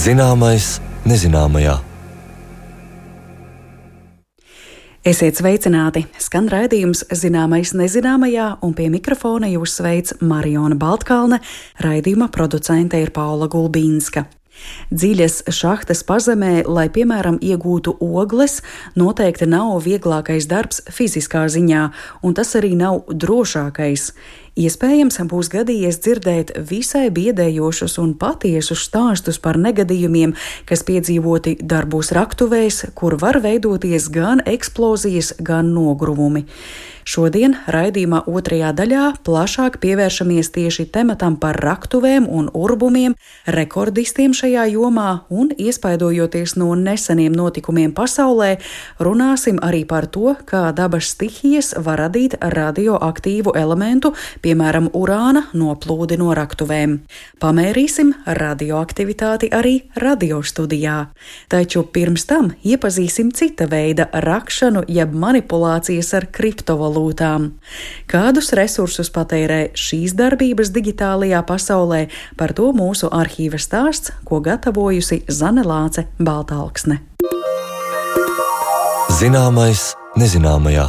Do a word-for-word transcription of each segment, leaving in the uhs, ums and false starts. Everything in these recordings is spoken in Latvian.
Zināmais nezināmajā. Esiet sveicināti! Skan raidījums Zināmais nezināmajā, un pie mikrofona jūs sveic Mariona Baltkalne, raidījuma producente ir Paula Gulbīnska. Dziļas šahtas pazemē, lai, piemēram, iegūtu ogles, noteikti nav vieglākais darbs fiziskā ziņā, un tas arī nav drošākais. Iespējams, būs gadījies dzirdēt visai biedējošus un patiesus stāstus par negadījumiem, kas piedzīvoti darbos raktuvēs, kur var veidoties gan eksplozijas, gan nogruvumi. Šodien raidījumā otrajā daļā plašāk pievēršamies tieši tematam par raktuvēm un urbumiem, rekordistiem šajā jomā un, iespaidojoties no neseniem notikumiem pasaulē, runāsim arī par to, kā dabas stihijas var radīt radioaktīvu elementu, piemēram, urāna noplūdi no raktuvēm. Pamērīsim radioaktivitāti arī radiostudijā. Taču pirms tam iepazīsim cita veida rakšanu jeb manipulācijas ar kriptovalūtām. Kādus resursus patērē šīs darbības digitālajā pasaulē, par to mūsu arhīva stāsts, ko gatavojusi Zane Lāce Baltalksne. Zināmais nezināmajā.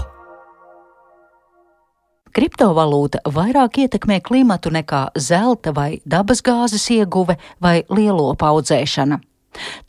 Kriptovalūta vairāk ietekmē klimatu nekā zelta vai dabasgāzes ieguve vai lielopu audzēšana.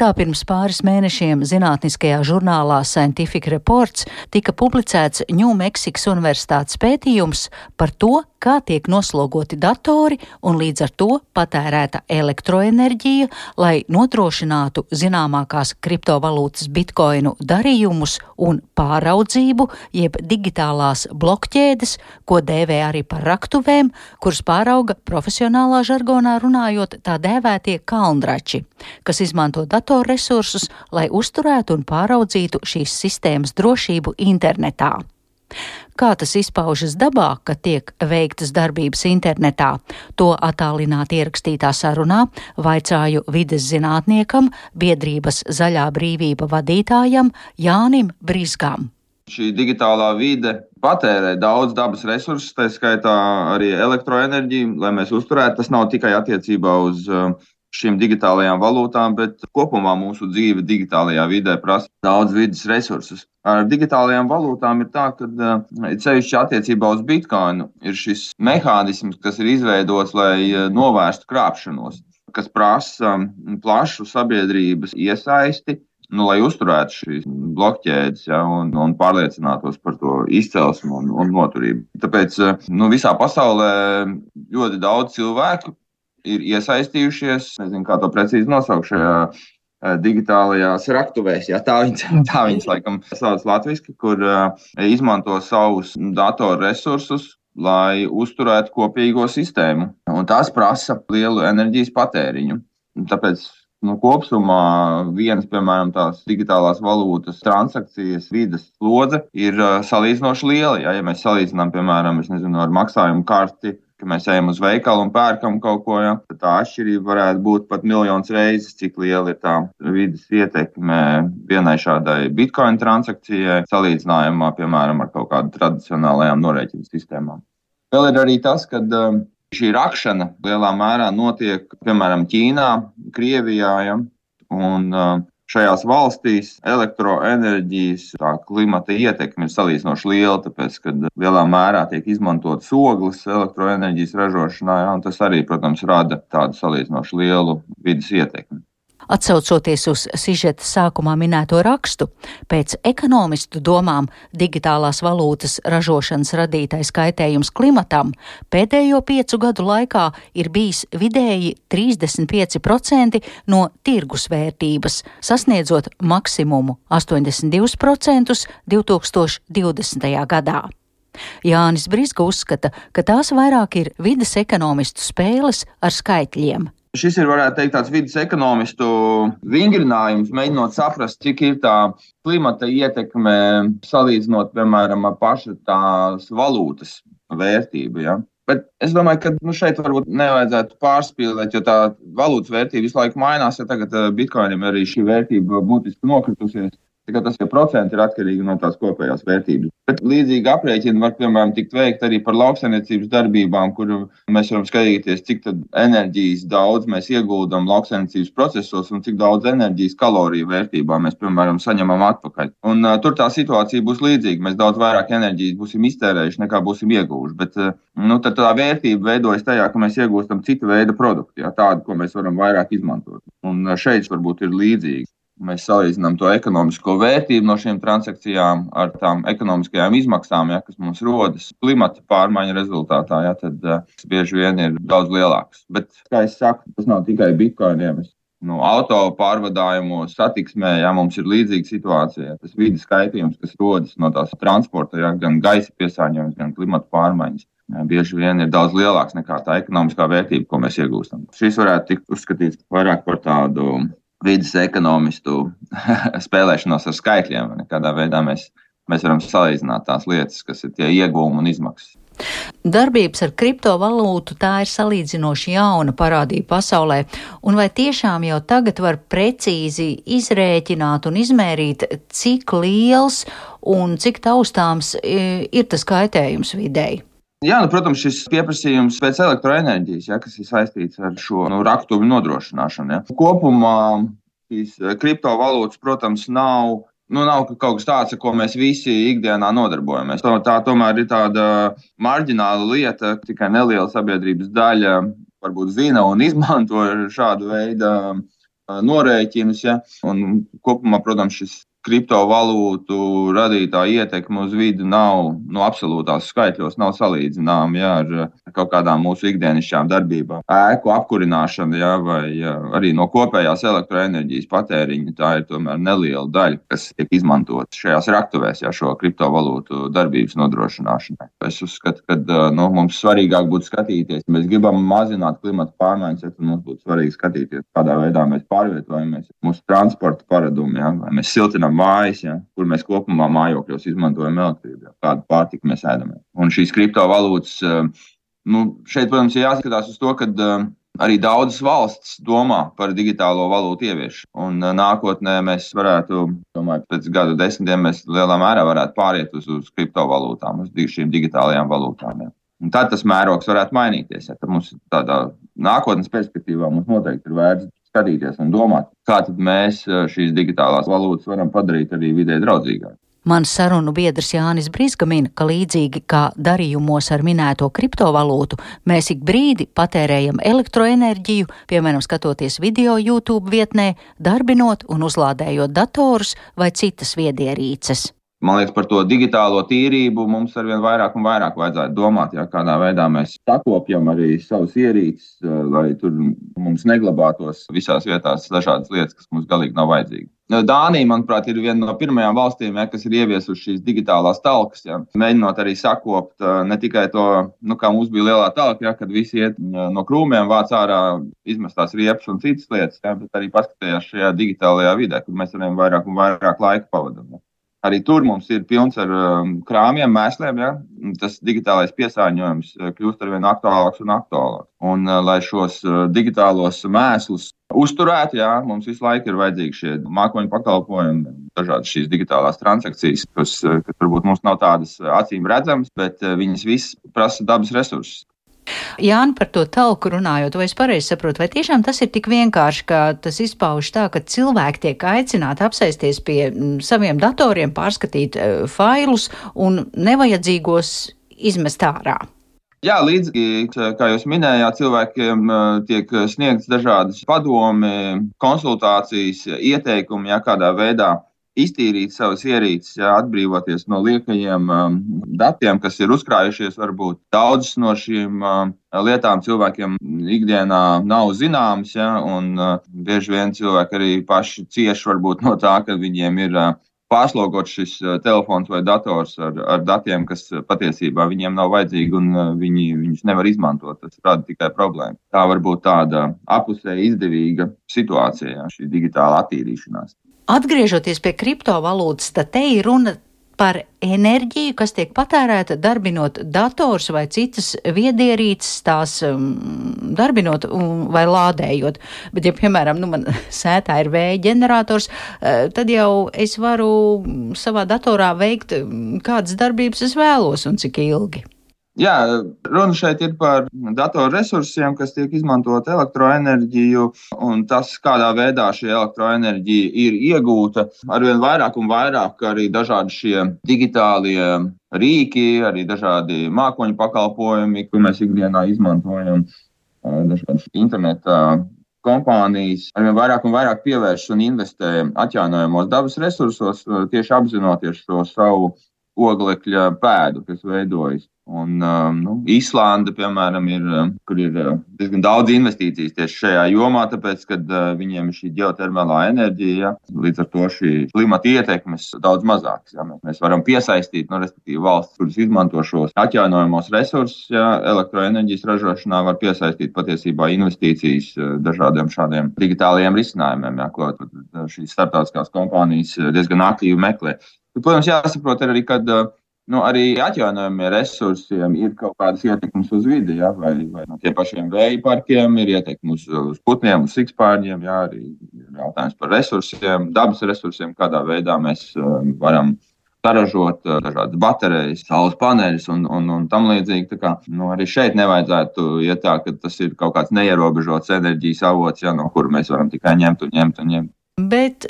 Tā pirms pāris mēnešiem zinātniskajā žurnālā Scientific Reports tika publicēts Ņūmeksikas universitātes pētījums par to, kā tiek noslogoti datori un līdz ar to patērēta elektroenerģija, lai nodrošinātu zināmākās kriptovalūtas bitkoinu darījumus un pāraudzību, jeb digitālās blokķēdes, ko dēvē arī par raktuvēm, kuras pārauga profesionālā žargonā runājot tā dēvētie kalndrači, kas izmanto datorresursus, lai uzturētu un pāraudzītu šīs sistēmas drošību internetā. Kā tas izpaužas dabā, kad tiek veiktas darbības internetā, to attālināti ierakstītā sarunā vaicāju vides zinātniekam, biedrības Zaļā brīvība vadītājam Jānim Brizgam. Šī digitālā vide patērē daudz dabas resursus, tā skaitā arī elektroenerģiju, lai mēs uzturētu. Tas nav tikai attiecībā uz šīm digitālajām valūtām, bet kopumā mūsu dzīve digitālajā vidē prasa daudz vides resursus. Ar digitālajām valūtām ir tā, ka ceļšķi attiecībā uz bitkoinu ir šis mehānisms, kas ir izveidots, lai novērstu krāpšanos, kas prasa plašu sabiedrības iesaisti, nu, lai uzturētu šīs blokķēdes, ja, un, un pārliecinātos par to izcelsmu un, un noturību. Tāpēc nu, visā pasaulē ļoti daudz cilvēku ir iesaistījušies, nezinu, kā to precīzi nosaukt šajā digitālajās raktuvēs, ja, tā viņas, tā viņas laikam sauc latviski, kur uh, izmanto savus datoru resursus, lai uzturētu kopīgo sistēmu. Un tas prasa lielu enerģijas patēriņu. Tāpēc nu, kopsumā vienas, piemēram, tās digitālās valūtas transakcijas vides slodze ir uh, salīdzinoši liela. Ja, ja mēs salīdzinām, piemēram, es nezinu, ar maksājumu karti, ka mēs ejam uz veikalu un pērkam kaut ko, ja, tad tā atšķirība varētu būt pat miljons reizes, cik liela ir tā vides ietekme vienai šādai bitcoin transakcijai, salīdzinājumā, piemēram, ar kaut kādu tradicionālajām norēķinu sistēmām. Vēl ir arī tas, ka um, šī rakšana lielā mērā notiek, piemēram, Ķīnā, Krievijā, ja, un um, šajās valstīs elektroenerģijas tā klimata ietekme ir salīdzinoši liela, tāpēc, ka lielā mērā tiek izmantotas ogles elektroenerģijas ražošanā, ja, un tas arī, protams, rada tādu salīdzinoši lielu vides ietekmi. Atsaucoties uz sižeta sākumā minēto rakstu, pēc ekonomistu domām digitālās valūtas ražošanas radītais kaitējums klimatam pēdējo piecu gadu laikā ir bijis vidēji trīsdesmit pieci procenti no tirgus vērtības, sasniedzot maksimumu astoņdesmit divus procentus divi tūkstoši divdesmitajā gadā. Jānis Brizga uzskata, ka tās vairāk ir vides ekonomistu spēles ar skaitļiem. Šis ir, varētu teikt, tāds vides ekonomistu vingrinājums, mēģinot saprast, cik ir tā klimata ietekme salīdzinot, piemēram, ar pašu tās valūtas vērtību. Ja? Bet es domāju, ka nu, šeit varbūt nevajadzētu pārspīlēt, jo tā valūtas vērtība visu laiku mainās, ja tagad bitkoinam arī šī vērtība būtiski nokritusies. Tikai tas, ja procenti ir atkarīgi no tās kopējās vērtības. Bet līdzīgi aprēķini var, piemēram, tikt veikt arī par lauksaimniecības darbībām, kur mēs varam skatīties, cik tad enerģijas daudz mēs ieguldam lauksaimniecības procesos un cik daudz enerģijas kaloriju vērtībā mēs, piemēram, saņemam atpakaļ. Un uh, tur tā situācija būs līdzīga. Mēs daudz vairāk enerģijas būsim iztērējuši, nekā būsim ieguvuši. Bet uh, nu, tad tā vērtība veidojas tajā, ka mēs iegūstam citu veidu produktu, jā, tādu, ko mēs varam vairāk izmantot. Un uh, šeit varbūt ir līdzīgi. Mēs salīdzinām to ekonomisko vērtību no šīm transakcijām ar tām ekonomiskajām izmaksām, ja, kas mums rodas klimata pārmaiņu rezultātā, ja, tad uh, bieži vien ir daudz lielāks. Bet, kā es saku, tas nav tikai bitkoiniem. No auto pārvadājumos, satiksmē, ja, mums ir līdzīga situācija. Ja, tas vides kaitījums, kas rodas no tās transporta, ja, gan gaisa piesārņojums, gan klimata pārmaiņas. Ja, bieži vien ir daudz lielāks nekā tā ekonomiskā vērtība, ko mēs iegūstam. Šis varētu tikt uzskatīts vairāk par tādu vides ekonomistu spēlēšanos ar skaitļiem. Kādā veidā mēs, mēs varam salīdzināt tās lietas, kas ir tie iegūmi un izmaksas. Darbības ar kriptovalūtu tā ir salīdzinoši jauna parādība pasaulē, un vai tiešām jau tagad var precīzi izrēķināt un izmērīt, cik liels un cik taustāms ir tas kaitējums videi? Jā, nu, protams, šis pieprasījums pēc elektroenerģijas, ja, kas ir saistīts ar šo nu, raktuvju nodrošināšanu. Ja. Kopumā šīs kriptovalūtas, protams, nav, nu, nav kaut kas tāds, ar ko mēs visi ikdienā nodarbojamies. Tā tomēr ir tāda marģināla lieta, tikai neliela sabiedrības daļa varbūt zina un izmanto šādu veidu norēķinus. Ja. Un kopumā, protams, šis kriptovalūtu radītā ietekme uz vidi nav no absolūtās skaitļos, nav salīdzināma ja, ar kaut kādām mūsu ikdienišķām darbībām. Ēku apkurināšana ja, vai ja, arī no kopējās elektroenerģijas patēriņa, tā ir tomēr neliela daļa, kas tiek izmantot šajās raktuvēs ja, šo kriptovalūtu darbības nodrošināšanai. Es uzskatu, ka nu, mums svarīgāk būtu skatīties, ja mēs gribam mazināt klimata pārmaiņas, ja, tad mums būtu svarīgi skatīties, kādā veidā mēs pārvietojamies mūsu transporta paradumi, ja, vai mēs siltinām mājas, ja, kur mēs kopumā mājokļos izmantojam elektrību, ja, kādu pārtiku mēs ēdam. Un šīs kriptovalūtas, nu, šeit, protams, ir jāskatās uz to, ka arī daudzas valstis domā par digitālo valūtu ieviešanu. Un nākotnē mēs varētu, domāju, pēc gadu desmitiem mēs lielā mērā varētu pāriet uz, uz kriptovalūtām, uz šīm digitālajām valūtām. Ja. Un tad tas mērogs varētu mainīties. Ja. Tad mums tādā nākotnes perspektīvā mums noteikti ir vērts skatīties un domāt, kā tad mēs šīs digitālās valūtas varam padarīt arī vidē draudzīgāk. Mans sarunu biedrs Jānis Brizga min, ka līdzīgi kā darījumos ar minēto kriptovalūtu, mēs ik brīdi patērējam elektroenerģiju, piemēram, skatoties video YouTube vietnē, darbinot un uzlādējot datorus vai citas viedierīces. Man liekas, par to digitālo tīrību mums arvien vairāk un vairāk vajadzētu domāt, ja, kādā veidā mēs sakopjam arī savus ierīces, lai tur mums neglabātos visās vietās dažādas lietas, kas mums galīgi nav vajadzīgi. Dānija, manuprāt, ir viena no pirmajām valstīm, ja, kas ir ieviesuši šīs digitālās talkas, ja, mēģinot arī sakopt ne tikai to, nu, kā mums bija lielā talka, ja, kad visi iet no krūmiem, vāc ārā izmestās riepas un citas lietas, ja, bet arī paskatījās šajā digitālajā vidē, kur mēs arvien vairāk un vairāk laika pavadam. Ja. Arī tur mums ir pilns ar um, krāmiem, mēsliem, ja? Tas digitālais piesārņojums kļūst arvien aktuālāks un aktuālāks. Un, uh, lai šos uh, digitālos mēslus uzturētu, ja? Mums visu laiku ir vajadzīgi šie mākoņu pakalpojumi, dažādas šīs digitālās transakcijas, kas, uh, kas varbūt mums nav tādas acīm redzamas, bet uh, viņas visas prasa dabas resursus. Jāni, par to talku runājot, vai es pareizi saprotu, vai tiešām tas ir tik vienkārši, ka tas izpauž tā, ka cilvēki tiek aicināti apsēsties pie saviem datoriem, pārskatīt uh, failus un nevajadzīgos izmest ārā? Jā, līdzīgi, kā jūs minējāt, cilvēkiem tiek sniegts dažādas padomi, konsultācijas, ieteikumi, ja, kādā veidā iztīrīt savas ierīces, ja, atbrīvoties no liekajiem um, datiem, kas ir uzkrājušies. Varbūt daudzas no šīm um, lietām cilvēkiem ikdienā nav zināmas, ja, un uh, bieži vien cilvēki arī paši cieši varbūt no tā, ka viņiem ir uh, pārslogots šis uh, telefons vai dators ar, ar datiem, kas uh, patiesībā viņiem nav vajadzīgi un uh, viņi viņus nevar izmantot. Tas rada tikai problēmu. Tā var būt tāda apusēji izdevīga situācija, ja, šī digitāla attīrīšanās. Atgriežoties pie kriptovalūtas, tad te ir runa par enerģiju, kas tiek patērēta darbinot dators vai citas viedierīces, tās um, darbinot um, vai lādējot. Bet, ja, piemēram, nu, man sētā ir vēja ģenerators, uh, tad jau es varu savā datorā veikt, kādas darbības es vēlos un cik ilgi. Jā, runa šeit ir par datorresursiem, kas tiek izmantot elektroenerģiju, un tas, kādā veidā šī elektroenerģija ir iegūta. Arvien vairāk un vairāk arī dažādi šie digitālie rīki, arī dažādi mākoņu pakalpojumi, ko mēs ikdienā izmantojam, dažādas interneta kompānijas, arvien vairāk un vairāk pievērš un investē atjaunojamos dabas resursos, tieši apzinoties šo savu oglekļa pēdu, kas veidojas. Un, nu, Īslanda, piemēram, ir, kur ir diezgan daudz investīcijas tieši šajā jomā, tāpēc, ka viņiem ir šī ģeotermālā enerģija, ja, līdz ar to šī klimata ietekmes daudz mazākas. Ja. Mēs varam piesaistīt, nu, respektīvi valsts, kuras izmanto šos atjaunojamos resursus, ja, elektroenerģijas ražošanā var piesaistīt patiesībā investīcijas dažādiem šādiem digitālajiem risinājumiem, ja, ko šīs starptautiskās kompānijas diezgan aktīvi meklē. Protams, jāsaprot arī, kad nu, arī atjaunojumiem resursiem ir kaut kādas ietekmes uz vidi, ja, vai, vai no tie pašiem vēja parkiem ir ietekme uz, uz putniem, uz sikspārņiem, ja, arī jautājums par resursiem, dabas resursiem, kādā veidā mēs um, varam saražot uh, dažādas baterijas, saules paneļus un, un, un tam līdzīgi. Tā kā, nu, arī šeit nevajadzētu iet tā, ka tas ir kaut kāds neierobežots enerģijas avots, ja, no kura mēs varam tikai ņemt un ņemt un ņemt. Bet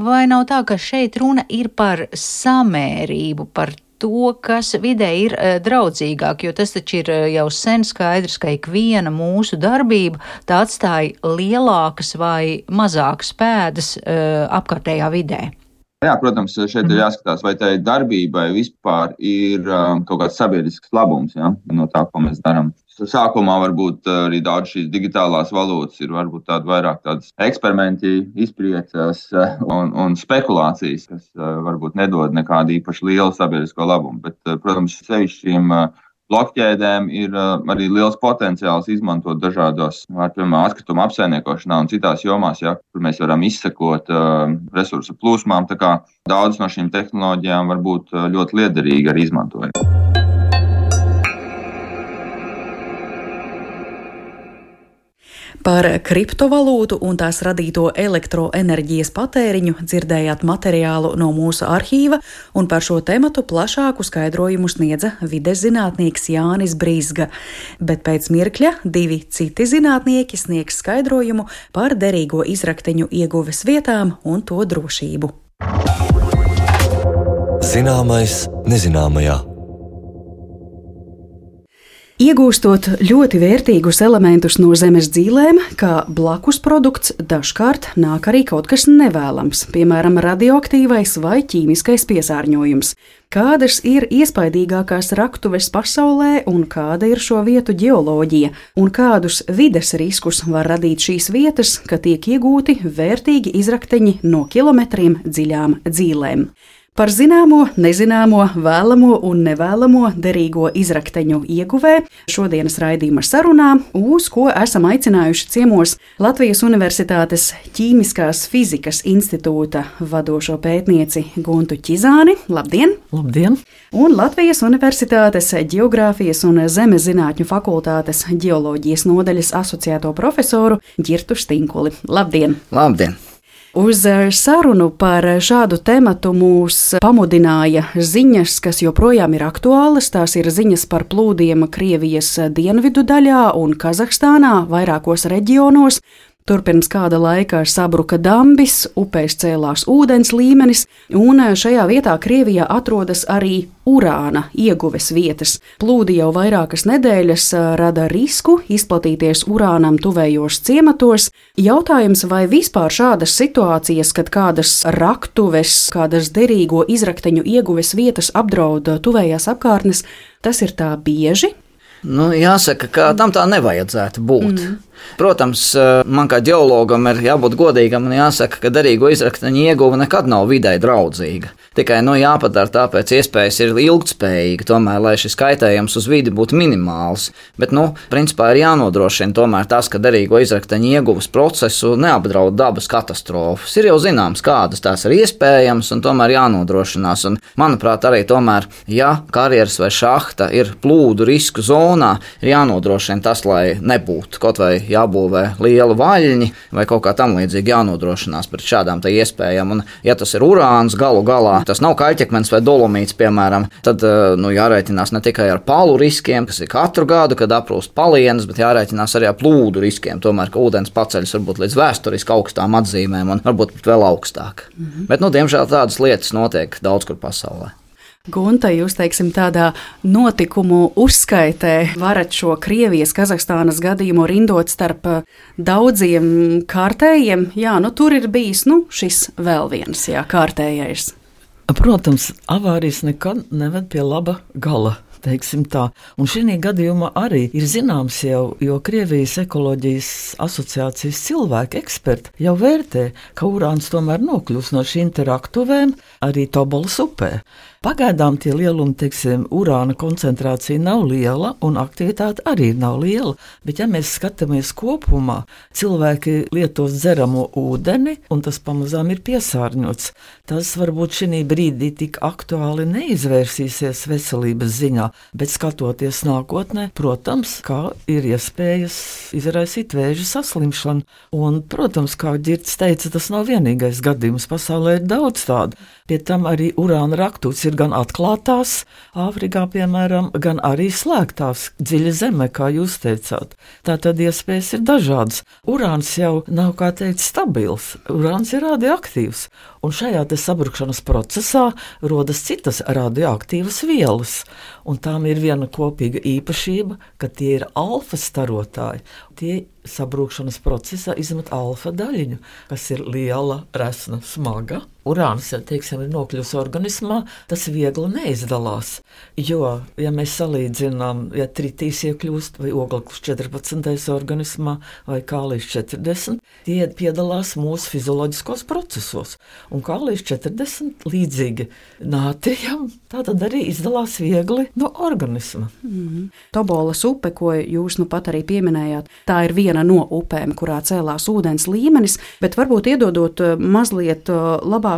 vai nav tā, ka šeit runa ir par samērību, par to, kas vidē ir draudzīgāk, jo tas taču ir jau sen skaidrs, ka ikviena mūsu darbība tā atstāja lielākas vai mazākas pēdas apkārtējā vidē? Jā, protams, šeit ir jāskatās, vai tai darbībai vispār ir um, kaut kāds sabiedrisks labums, ja, no tā, ko mēs darām. Sākumā varbūt arī daudz šīs digitālās valūtas ir varbūt tāda vairāk tādas eksperimenti, izpriecas un, un spekulācijas, kas uh, varbūt nedod nekādu īpaši lielu sabiedrisko labumu. Bet, uh, protams, sevišķi šīm uh, blokķēdēm ir uh, arī liels potenciāls izmantot dažādos, piemēram, atkrituma apsaimniekošanā un citās jomās, ja, kur mēs varam izsekot uh, resursu plūsmām. Tā kā daudz no šīm tehnoloģijām var būt uh, ļoti liederīgi arī izmantojami. Par kriptovalūtu un tās radīto elektroenerģijas patēriņu dzirdējāt materiālu no mūsu arhīva, un par šo tematu plašāku skaidrojumu sniedza vides zinātnieks Jānis Brizga. Bet pēc mirkļa divi citi zinātnieki sniegs skaidrojumu par derīgo izrakteņu ieguves vietām un to drošību. Zināmais nezināmajā. Iegūstot ļoti vērtīgus elementus no zemes dzīlēm, kā blakus produkts, dažkārt nāk arī kaut kas nevēlams, piemēram, radioaktīvais vai ķīmiskais piesārņojums. Kādas ir iespaidīgākās raktuves pasaulē un kāda ir šo vietu ģeoloģija, un kādus vides riskus var radīt šīs vietas, ka tiek iegūti vērtīgi izrakteņi no kilometriem dziļām dzīlēm. Par zināmo, nezināmo, vēlamo un nevēlamo derīgo izrakteņu ieguvē šodienas raidījuma sarunā, uz ko esam aicinājuši ciemos Latvijas Universitātes Ķīmiskās fizikas institūta vadošo pētnieci Guntu Ķizāni. Labdien! Labdien! Un Latvijas Universitātes Ģeogrāfijas un Zemes zinātņu fakultātes ģeoloģijas nodaļas asociēto profesoru Ģirtu Stinkuli. Labdien! Labdien! Uz sarunu par šādu tematu mūs pamudināja ziņas, kas joprojām ir aktuālas. Tās ir ziņas par plūdiem Krievijas dienvidu daļā un Kazahstānā vairākos reģionos. Tur pirms kāda laika sabruka dambis, upēs cēlās ūdens līmenis, un šajā vietā Krievijā atrodas arī urāna ieguves vietas. Plūdi jau vairākas nedēļas rada risku izplatīties urānam tuvējos ciematos. Jautājums, vai vispār šādas situācijas, kad kādas raktuves, kādas derīgo izrakteņu ieguves vietas apdraud tuvējās apkārtnes, tas ir tā bieži? Nu, jāsaka, ka tam tā nevajadzētu būt. Mm. Protams, man kā ģeologam ir jābūt godīgam un jāsaka, ka derīgo izrakteņu ieguve nekad nav videi draudzīga. Tikai nu, jāpadara tā pēc iespējas ir ilgtspējīga, tomēr, lai šis kaitējums uz vidi būtu minimāls. Bet, nu, principā ir jānodrošina tomēr tas, ka derīgo izrakteņu ieguves procesu neapdraud dabas katastrofas. Ir jau zināms, kādas tās ir iespējamas un tomēr jānodrošinās. Un, manuprāt, arī tomēr, ja karjeras vai šahta ir plūdu risku zonā, ir jānodrošina tas, lai nebūtu kaut vai jābūvē liela vaļņi vai kaut kā tam līdzīgi jānodrošinās pret šādām tā iespējām. Un, ja tas ir urāns galu galā, tas nav kaļķekmens vai dolomīts, piemēram, tad nu, jārēķinās ne tikai ar palu riskiem, kas ir katru gadu, kad aprūst palienas, bet jārēķinās arī ar plūdu riskiem. Tomēr, ka ūdens paceļas varbūt līdz vēsturiski augstām atzīmēm un varbūt pat vēl augstāk. Mm-hmm. Bet, nu, diemžēl tādas lietas notiek daudz kur pasaulē. Gunta, jūs, teiksim, tādā notikumu uzskaitē varat šo Krievijas, Kazahstānas gadījumu rindot starp daudziem kārtējiem. Jā, nu tur ir bijis, nu, šis vēl viens, jā, kārtējais. Protams, avārijas nekad neved pie laba gala. Teiksim tā. Un šī gadījumā arī ir zināms jau, jo Krievijas ekoloģijas asociācijas cilvēki eksperti jau vērtē, ka urāns tomēr nokļūs no šīm te raktuvēm arī Tobolas upē. Pagaidām tie lielumi, teiksim, urāna koncentrācija nav liela un aktivitāte arī nav liela, bet ja mēs skatāmies kopumā, cilvēki lietos dzeramo ūdeni un tas pamazām ir piesārņots. Tas varbūt šī brīdī tik aktuāli neizvērsīsies veselības ziņā, bet skatoties nākotnē, protams, kā ir iespējas izraisīt vēža saslimšanu. Un, protams, kā Ģirds teica, tas nav vienīgais gadījums, pasaulē ir daudz tādu. Pie tam arī urāna raktūts ir gan atklātās, Āfrikā, piemēram, gan arī slēgtās, dziļa zeme, kā jūs teicāt. Tātad iespējas ir dažādas. Urāns jau nav, kā teikt, stabils. Urāns ir radioaktīvs. Un šajā te sabrukšanas procesā rodas citas radioaktīvas vielas. Un tām ir viena kopīga īpašība, ka tie ir alfa starotāji. Tie sabrūkšanas procesā izmet alfa daļiņu, kas ir liela, resna, smaga. Urāns, ja teiksim, ir nokļuvis organismā, tas viegli neizdalās. Jo, ja mēs salīdzinām, ja tritīs iekļūst vai ogleklis četrpadsmitais organismā vai kālijs četrdesmit, tie piedalās mūsu fizioloģiskos procesos. Un kālijs četrdesmit līdzīgi nātrijam, tā tad arī izdalās viegli no organisma. Mm-hmm. Tobolas upe, ko jūs nu pat arī pieminējāt, tā ir viena no upēm, kurā cēlās ūdens līmenis, bet varbūt iedodot mazliet labāku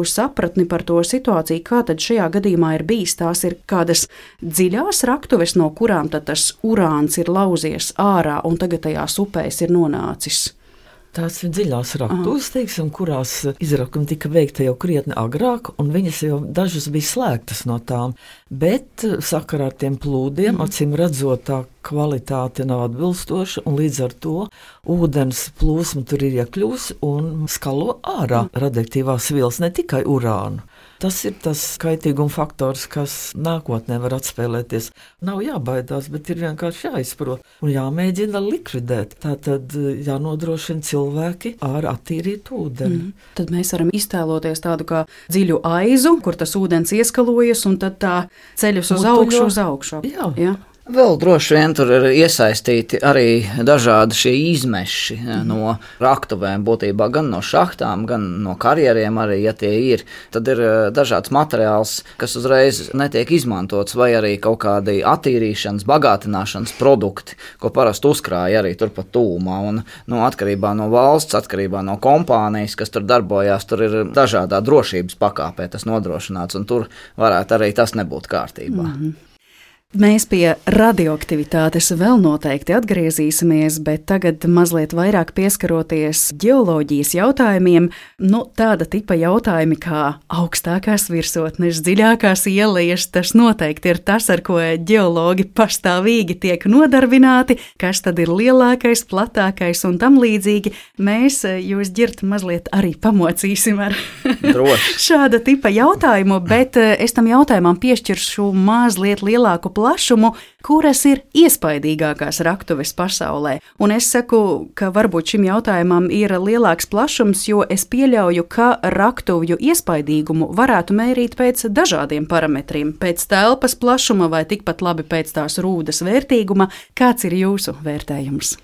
sapratni par to situāciju, kā tad šajā gadījumā ir bijis. Tās ir kādas dziļās raktuves, no kurām tad tas urāns ir lauzies ārā un tagad tajās upēs ir nonācis. Tās ir dziļās raktuves, teiksim, kurās izrakumi tika veikta jau krietni agrāk, un viņas jau dažas bija slēgtas no tām. Bet sakarā ar tiem plūdiem, mm. acīm redzot, tā kvalitāte nav atbilstoša, un līdz ar to ūdens plūsma tur ir iekļūs un skalo ārā mm. radioaktīvās vielas, ne tikai urānu. Tas ir tas kaitīguma faktors, kas nākotnē var atspēlēties. Nav jābaidās, bet ir vienkārši jāizprot un jāmēģina likvidēt. Tātad jānodrošina cilvēki ar attīrītu ūdeni. Mm. Tad mēs varam iztēloties tādu kā dziļu aizu, kur tas ūdens ieskalojas un tad tā ceļus uz Mutuļo. augšu, uz augšu. Jā. Jā. Vēl droši vien tur ir iesaistīti arī dažādi šie izmeši mm. no raktuvēm, būtībā gan no šahtām, gan no karjeriem arī, ja tie ir. Tad ir dažāds materiāls, kas uzreiz netiek izmantots, vai arī kaut kādi attīrīšanas, bagātināšanas produkti, ko parasti uzkrāja arī turpat tūmā. Un, nu, atkarībā no valsts, atkarībā no kompānijas, kas tur darbojās, tur ir dažādā drošības pakāpē tas nodrošināts, un tur varētu arī tas nebūt kārtībā. Mm. Mēs pie radioaktivitātes vēl noteikti atgriezīsimies, bet tagad mazliet vairāk pieskaroties ģeoloģijas jautājumiem. Nu, tāda tipa jautājumi kā augstākās virsotnes, dziļākās ielejas, tas noteikti ir tas, ar ko ģeologi pastāvīgi tiek nodarbināti, kas tad ir lielākais, platākais un tam līdzīgi. Mēs jūs Ģirt mazliet arī pamocīsim ar šāda tipa jautājumu, bet es tam jautājumam piešķiršu mazliet lielāku plašumu, kuras ir iespaidīgākās raktuves pasaulē. Un es saku, ka varbūt šim jautājumam ir lielāks plašums, jo es pieļauju, ka raktuvju iespaidīgumu varētu mērīt pēc dažādiem parametriem, pēc telpas plašuma vai tikpat labi pēc tās rūdas vērtīguma. Kāds ir jūsu vērtējums?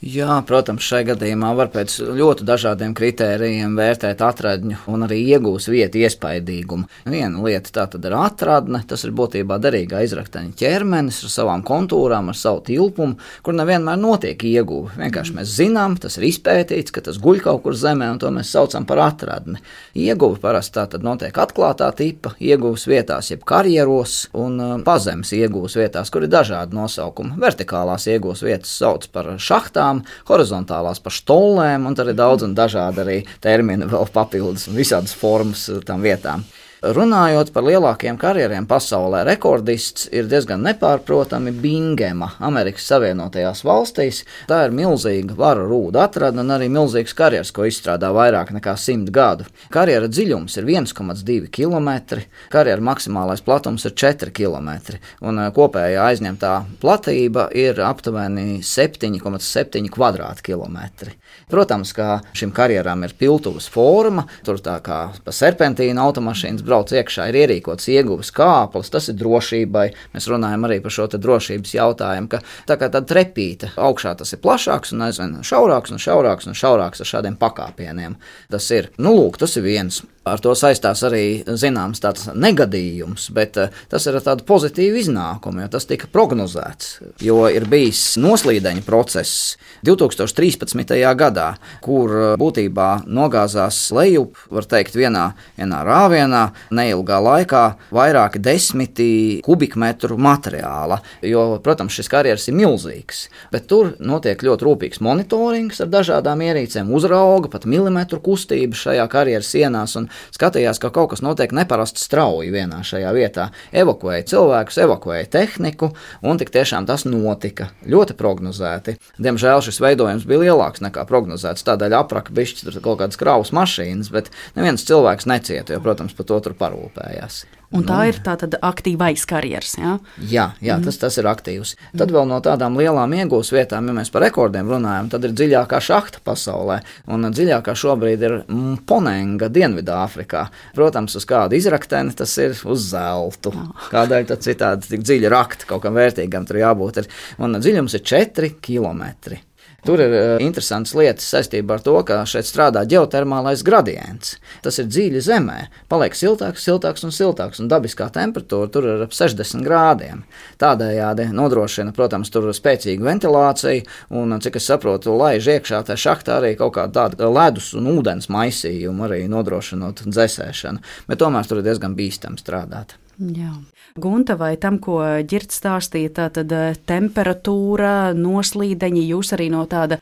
Jā, protams, šai gadījumā var pēc ļoti dažādiem kritērijiem vērtēt atradņu un arī iegūs vietu iespaidīgumu. Viena lieta tā tad ir atradne, tas ir būtībā derīgā izrakteņa ķermenis ar savām kontūrām, ar savu tilpumu, kur nevienmēr notiek ieguve. Vienkārši mēs zinām, tas ir izpētīts, ka tas guļ kaut kur zemē, un to mēs saucam par atradni. Ieguve parasti tā tad notiek atklātā tipa ieguves vietās, jeb karjeros, un pazemes ieguves vietās, kur ir dažādi nosaukumi. Vertikālās ieguves vietas sauc par šahtām, horizontālās par štollēm, un tad ir daudz un dažādi arī termini vēl papildus un visādas formas tam vietām. Runājot par lielākiem karjeriem pasaulē, rekordists ir diezgan nepārprotami Bingema, Amerikas Savienotajās valstīs. Tā ir milzīga varu rūda atradne un arī milzīgs karjers, ko izstrādā vairāk nekā simt gadu. Karjera dziļums ir viens komats divi kilometri, karjera maksimālais platums ir četri kilometri, un kopējā aizņemtā platība ir aptuveni septiņi komats septiņi kvadrātkilometri. Protams, ka šim karjeram ir piltuves forma, tur tā kā pa serpentīna automašīnas brauc iekšā, ir ierīkots ieguves kāplis, tas ir drošībai. Mēs runājam arī par šo te drošības jautājumu, ka tā kā tāda trepīte, augšā tas ir plašāks un aizvien šaurāks un šaurāks un šaurāks ar šādiem pakāpieniem. Tas ir, nu lūk, tas ir viens. Ar to saistās arī zināms tāds negadījums, bet tas ir ar tādu pozitīvu iznākumu, jo tas tika prognozēts, jo ir bijis noslīdeņa process divi tūkstoši trīspadsmitajā gadā, kur būtībā nogāzās lejup, var teikt, vienā, vienā rāvienā neilgā laikā vairāki desmiti kubikmetru materiāla, jo, protams, šis karjers ir milzīgs, bet tur notiek ļoti rūpīgs monitorings ar dažādām ierīcēm, uzrauga pat milimetru kustību šajā karjeras sienās un skatījās, ka kaut kas notiek neparasti strauji vienā šajā vietā. Evakuēja cilvēkus, evakuēja tehniku, un tik tiešām tas notika. Ļoti prognozēti. Diemžēl šis veidojums bija lielāks nekā prognozēts, tādēļ apraka bišķi tur kaut kādas kravas mašīnas, bet neviens cilvēks necieta, jo, protams, par to tur parūpējās. Un tā ir tā tad aktīvais karjers, jā? Jā, jā tas, tas ir aktīvs. Tad vēl no tādām lielām iegūs vietām, ja mēs par rekordiem runājam, tad ir dziļākā šahta pasaulē. Un dziļākā šobrīd ir Mponenga Dienvidāfrikā. Protams, uz kādu izrakteni tas ir uz zeltu. Kādēļ tad citādi tik dziļi rakti, kaut kam vērtīgam tur jābūt ir. Un dziļums ir četri kilometri. Tur ir interesantas lietas saistībā ar to, ka šeit strādā ģeotermālais gradients. Tas ir dziļi zemē, paliek siltāks, siltāks un siltāks, un dabiskā temperatūra tur ir ap sešdesmit grādiem. Tādējādi nodrošina, protams, tur spēcīgu ventilāciju, un, cik es saprotu, laiž iekšā tā šahtā arī kaut kāda tāda ledus un ūdens maisījumu, arī nodrošinot dzēsēšanu, bet tomēr tur ir diezgan bīstami strādāt. Jā. Gunta, vai tam, ko Ģirds stāstīja, tā tad temperatūra, noslīdeņi, jūs arī no tāda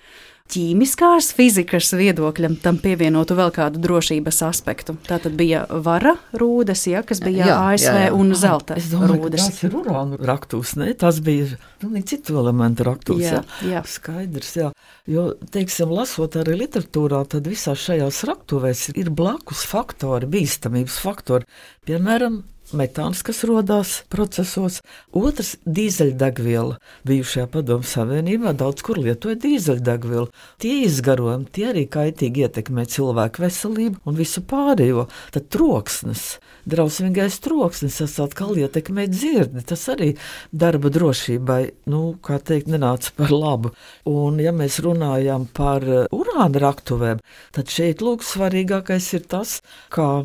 ķīmiskās fizikas viedokļa tam pievienotu vēl kādu drošības aspektu? Tā tad bija vara rūdas, ja, kas bija jā, A S V jā, jā. Un zelta es domāju, rūdas. Tas ir urāna raktūs, ne? Tas bija pilnīgi citu elementu raktūs, jā, jā. jā. Skaidrs, jā. Jo, teiksim, lasot arī literatūrā, tad visās šajās raktuvēs ir blakus faktori, bīstamības faktori, piemēram, metāns, kas rodās procesos. Otrs – dīzeļdegviela. Bijušajā Padomju Savienībā daudz kur lietoja dīzeļdegvielu. Tie izgarojumi, tie arī kaitīgi ietekmē cilvēku veselību un visu pārējo. Tad troksnis, drausmīgais troksnis, tas atkal ietekmē dzirdi. Tas arī darba drošībai, nu, kā teikt, nenāca par labu. Un, ja mēs runājam par urāna raktuvēm, tad šeit, lūk, svarīgākais ir tas, kā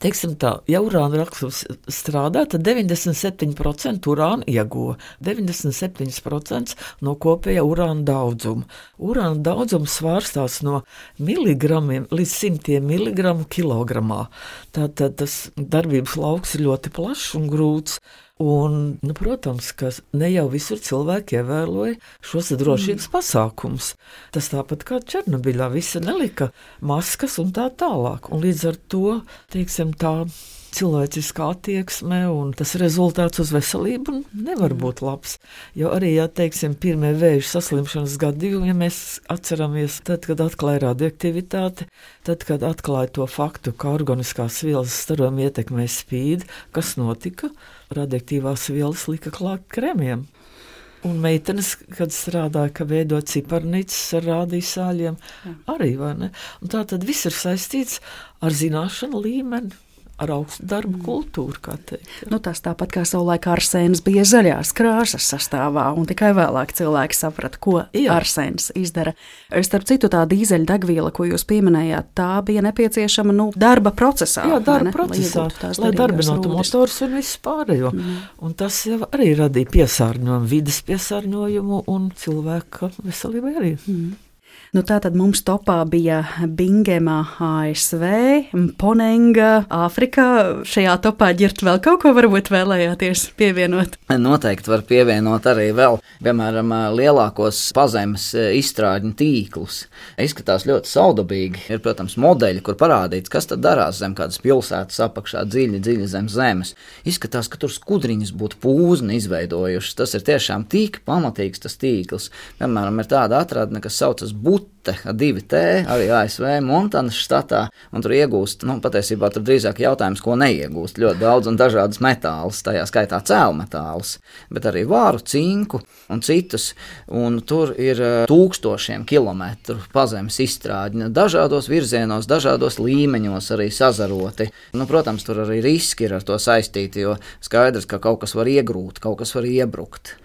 teiksim tā, ja urāna raktuvs strādā, tad deviņdesmit septiņi procenti urāna ieguva, deviņdesmit septiņi procenti no kopējā urāna daudzuma. Urāna daudzums svārstās no miligramiem līdz simtiem miligramu kilogramā. Tātad tas darbības lauks ir ļoti plašs un grūts. Un, nu, protams, ka ne jau visur cilvēki ievēroja šos drošības mm. pasākumus. Tas tāpat kā Černobiļā, visi nelika maskas un tā tālāk. Un līdz ar to, teiksim, tā cilvēciskā attieksme un tas rezultāts uz veselību nevar būt labs. Jo arī, ja teiksim, pirmie vēža saslimšanas gadījumi, ja mēs atceramies, tad, kad atklāja radioaktivitāti, tad, kad atklāja to faktu, ka organiskās vielas starojumi ietekmē spīdi, kas notika? Radioaktīvās vielas lika klāt kremiem. Un meitenes, kad strādāja, ka veido ciparnīcas ar rādīsāļiem, arī, vai ne? Un tā tad viss ir saistīts ar zināšanu līmeni, ar augstu darbu kultūru, kā teikt. Nu, tas tāpat kā savulaik arsēns bija zaļās krāsas sastāvā, un tikai vēlāk cilvēki saprata, ko Jā. arsēns izdara. Starp citu, tā dīzeļdegviela, ko jūs pieminējāt, tā bija nepieciešama nu, darba procesā. Jā, darba procesā, lai, lai darbinotu motors un visu pārējo. Mm. Un tas jau arī radīja piesārņojumu, vides piesārņojumu un cilvēka veselību arī. Mm. Nu, tā tad mums topā bija Bingema A S V, Ponenga Āfrikā. Šajā topā ģirt vēl kaut ko varbūt vēlējāties pievienot? Noteikti var pievienot arī vēl, piemēram, lielākos pazemes izstrādņu tīklus. Izskatās ļoti saudabīgi. Ir, protams, modeļi, kur parādīts, kas tad darās zem kādas pilsētas apakšā dziļi, dziļi zem zemes. Izskatās, ka tur skudriņas būtu pūzni izveidojušas. Tas ir tiešām tik pamatīgs tas tīkls. Piemēram, ir tāda atradne, kas saucas Butte ar divi T, arī A S V Montanas štatā, un tur iegūst, nu, patiesībā tur drīzāk jautājums, ko neiegūst, ļoti daudz un dažādas metālus, tajā skaitā cēlmetālus, bet arī vāru, cinku un citus, un tur ir tūkstošiem kilometru pazemes izstrādņa, dažādos virzienos, dažādos līmeņos arī sazaroti. Nu, protams, tur arī riski ir ar to saistīti, jo skaidrs, ka kaut kas var iegrūt, kaut kas var iebrukt.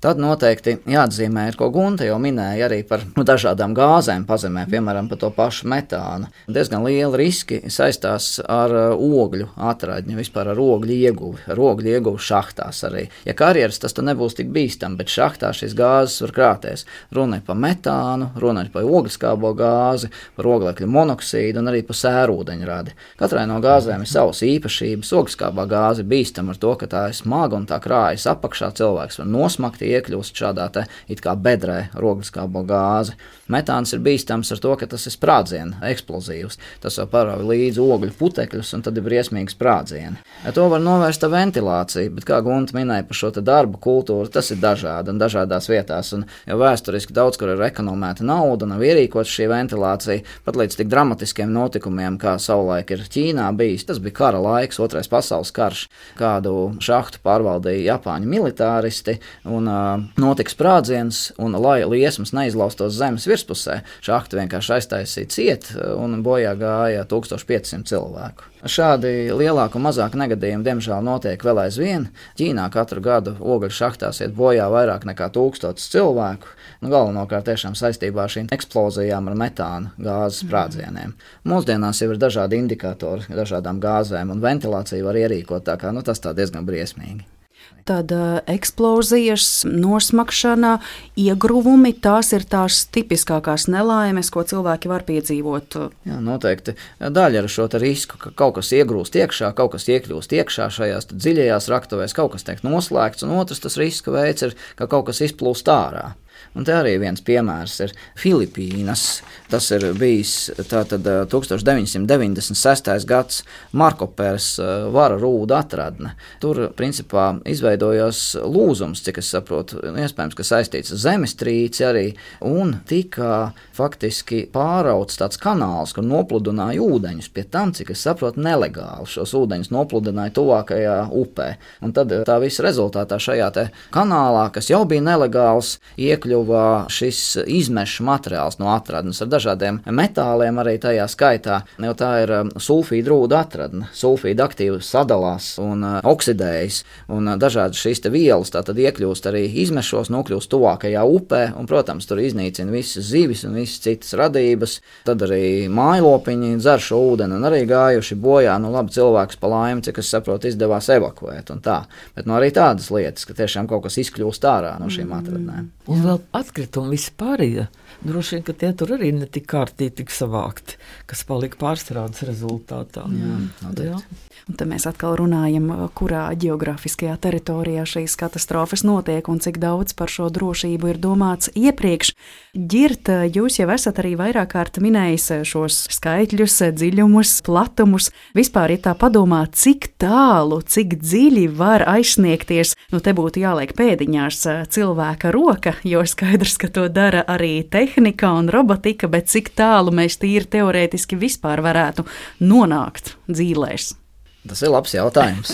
Tad noteikti jāatzīmē, ko Gunta jau minēja arī par nu, dažādām gāzēm pazemē, piemēram, par to pašu metānu. Diezgan lieli riski saistās ar ogļu atradņu, vispār ar ogļu ieguvi, ar ogļu ieguvi šahtās arī. Ja karjeras, tas tad nebūs tik bīstam, bet šahtā šīs gāzes var krāties. Runa ir par metānu, runa ir par ogliskābo gāzi, par oglekļa monoksīdu un arī par sērūdeņradi. Katrai no gāzēm ir savas īpašības. Ogliskābā gāze bīstam ar to, ka tā ir smaga un tā krājas apakšā, cilvēks var nosmakt, iekļūst šādā te it kā bedrē ogliskābo gāzi. Metāns ir bīstams ar to, ka tas ir sprādziena, eksplozīvs. Tas jau parauj līdzi ogļu putekļus un tad ir briesmīgi sprādzieni. Ja to var novērst ar ventilāciju, bet kā Gunta minēja par šo te darbu kultūru, tas ir dažādi un dažādās vietās. Un jau vēsturiski daudz, kur ir ekonomēta nauda, nav ierīkots šī ventilācija, pat līdz tik dramatiskiem notikumiem, kā savulaik ir Ķīnā bijis. Tas bija kara laiks, otrais pasaules karš, kādu šahtu pārvaldīja Japāņu militāristi un notika sprādziens, un lai liesmas neizlaustos zemes virspusē, šahti vienkārši aiztaisīja ciet un bojā gāja tūkstoš pieci simti cilvēku. Šādi lielāku un mazāku negadījumu diemžēl notiek vēl aizvien. Ķīnā katru gadu ogļu šahtās iet bojā vairāk nekā tūkstotis cilvēku, nu, galvenokārt tiešām saistībā ar šīm eksplozijām ar metāna gāzes sprādzieniem. Mūsdienās jau ir dažādi indikatori dažādām gāzēm, un ventilāciju var ierīkot, tā kā nu, tas tā diezgan briesmīgi. Tad uh, eksplozijas, nosmakšana, iegruvumi, tās ir tās tipiskākās nelaimes, ko cilvēki var piedzīvot. Jā, noteikti. Daļa ar šo risku, ka kaut kas iegrūst iekšā, kaut kas iekļūst iekšā šajās dziļajās raktuvēs, kaut kas tiek noslēgts, un otrs tas riska veids ir, ka kaut kas izplūst ārā. Un te arī viens piemērs ir Filipīnas. Tas ir bijis tātad tūkstoš deviņi simti deviņdesmit sestais gads Markopēras vara rūda atradne. Tur, principā, izveidojās lūzums, cik es saprotu, iespējams, ka saistīts ar zemestrīci arī, un tika faktiski pārauts tāds kanāls, kur nopludināja ūdeņus, pie tam, cik es saprotu, nelegāli šos ūdeņus nopludināja tuvākajā upē. Un tad tā visa rezultātā šajā te kanālā, kas jau bija nelegāls, iekļuva šis izmešu materiāls no atradnes ar dažādiem metāliem arī tajā skaitā, jo tā ir sulfīda rūda atradne. Sulfīda aktīvi sadalās un oksidējas, un dažādas šīs te vielas tātad iekļūst arī izmešos, nokļūst tuvākajā upē, un, protams, tur iznīcina visas zivis un visas citas radības. Tad arī mājlopiņi dzer šo ūdeni un arī gājuši bojā, nu labi, cilvēks pa laimi, cik es saprotu, izdevās evakuēt un tā. Bet nu arī tādas lietas, ka tiešām kaut kas izkļūst ārā no šīm atradnēm. Un vēl atkritumi vispārējie. Droši vien, ka tie tur arī ne tik kārtīgi tik savākti, kas palika pārstrādes rezultātā. Jā, noteikti. Un tad mēs atkal runājam, kurā ģeogrāfiskajā teritorijā šīs katastrofas notiek un cik daudz par šo drošību ir domāts iepriekš. Ģirt, jūs jau esat arī vairāk kārt minējis šos skaitļus, dziļumus, platumus. Vispār, ja tā padomā, cik tālu, cik dziļi var aizsniegties, nu te būtu jāliek pēdiņās cilvēka roka, jo skaidrs, ka to dara arī tehnika un robotika, bet cik tālu mēs tīri teorētiski vispār varētu nonākt dzīlēs. Tas ir labs jautājums.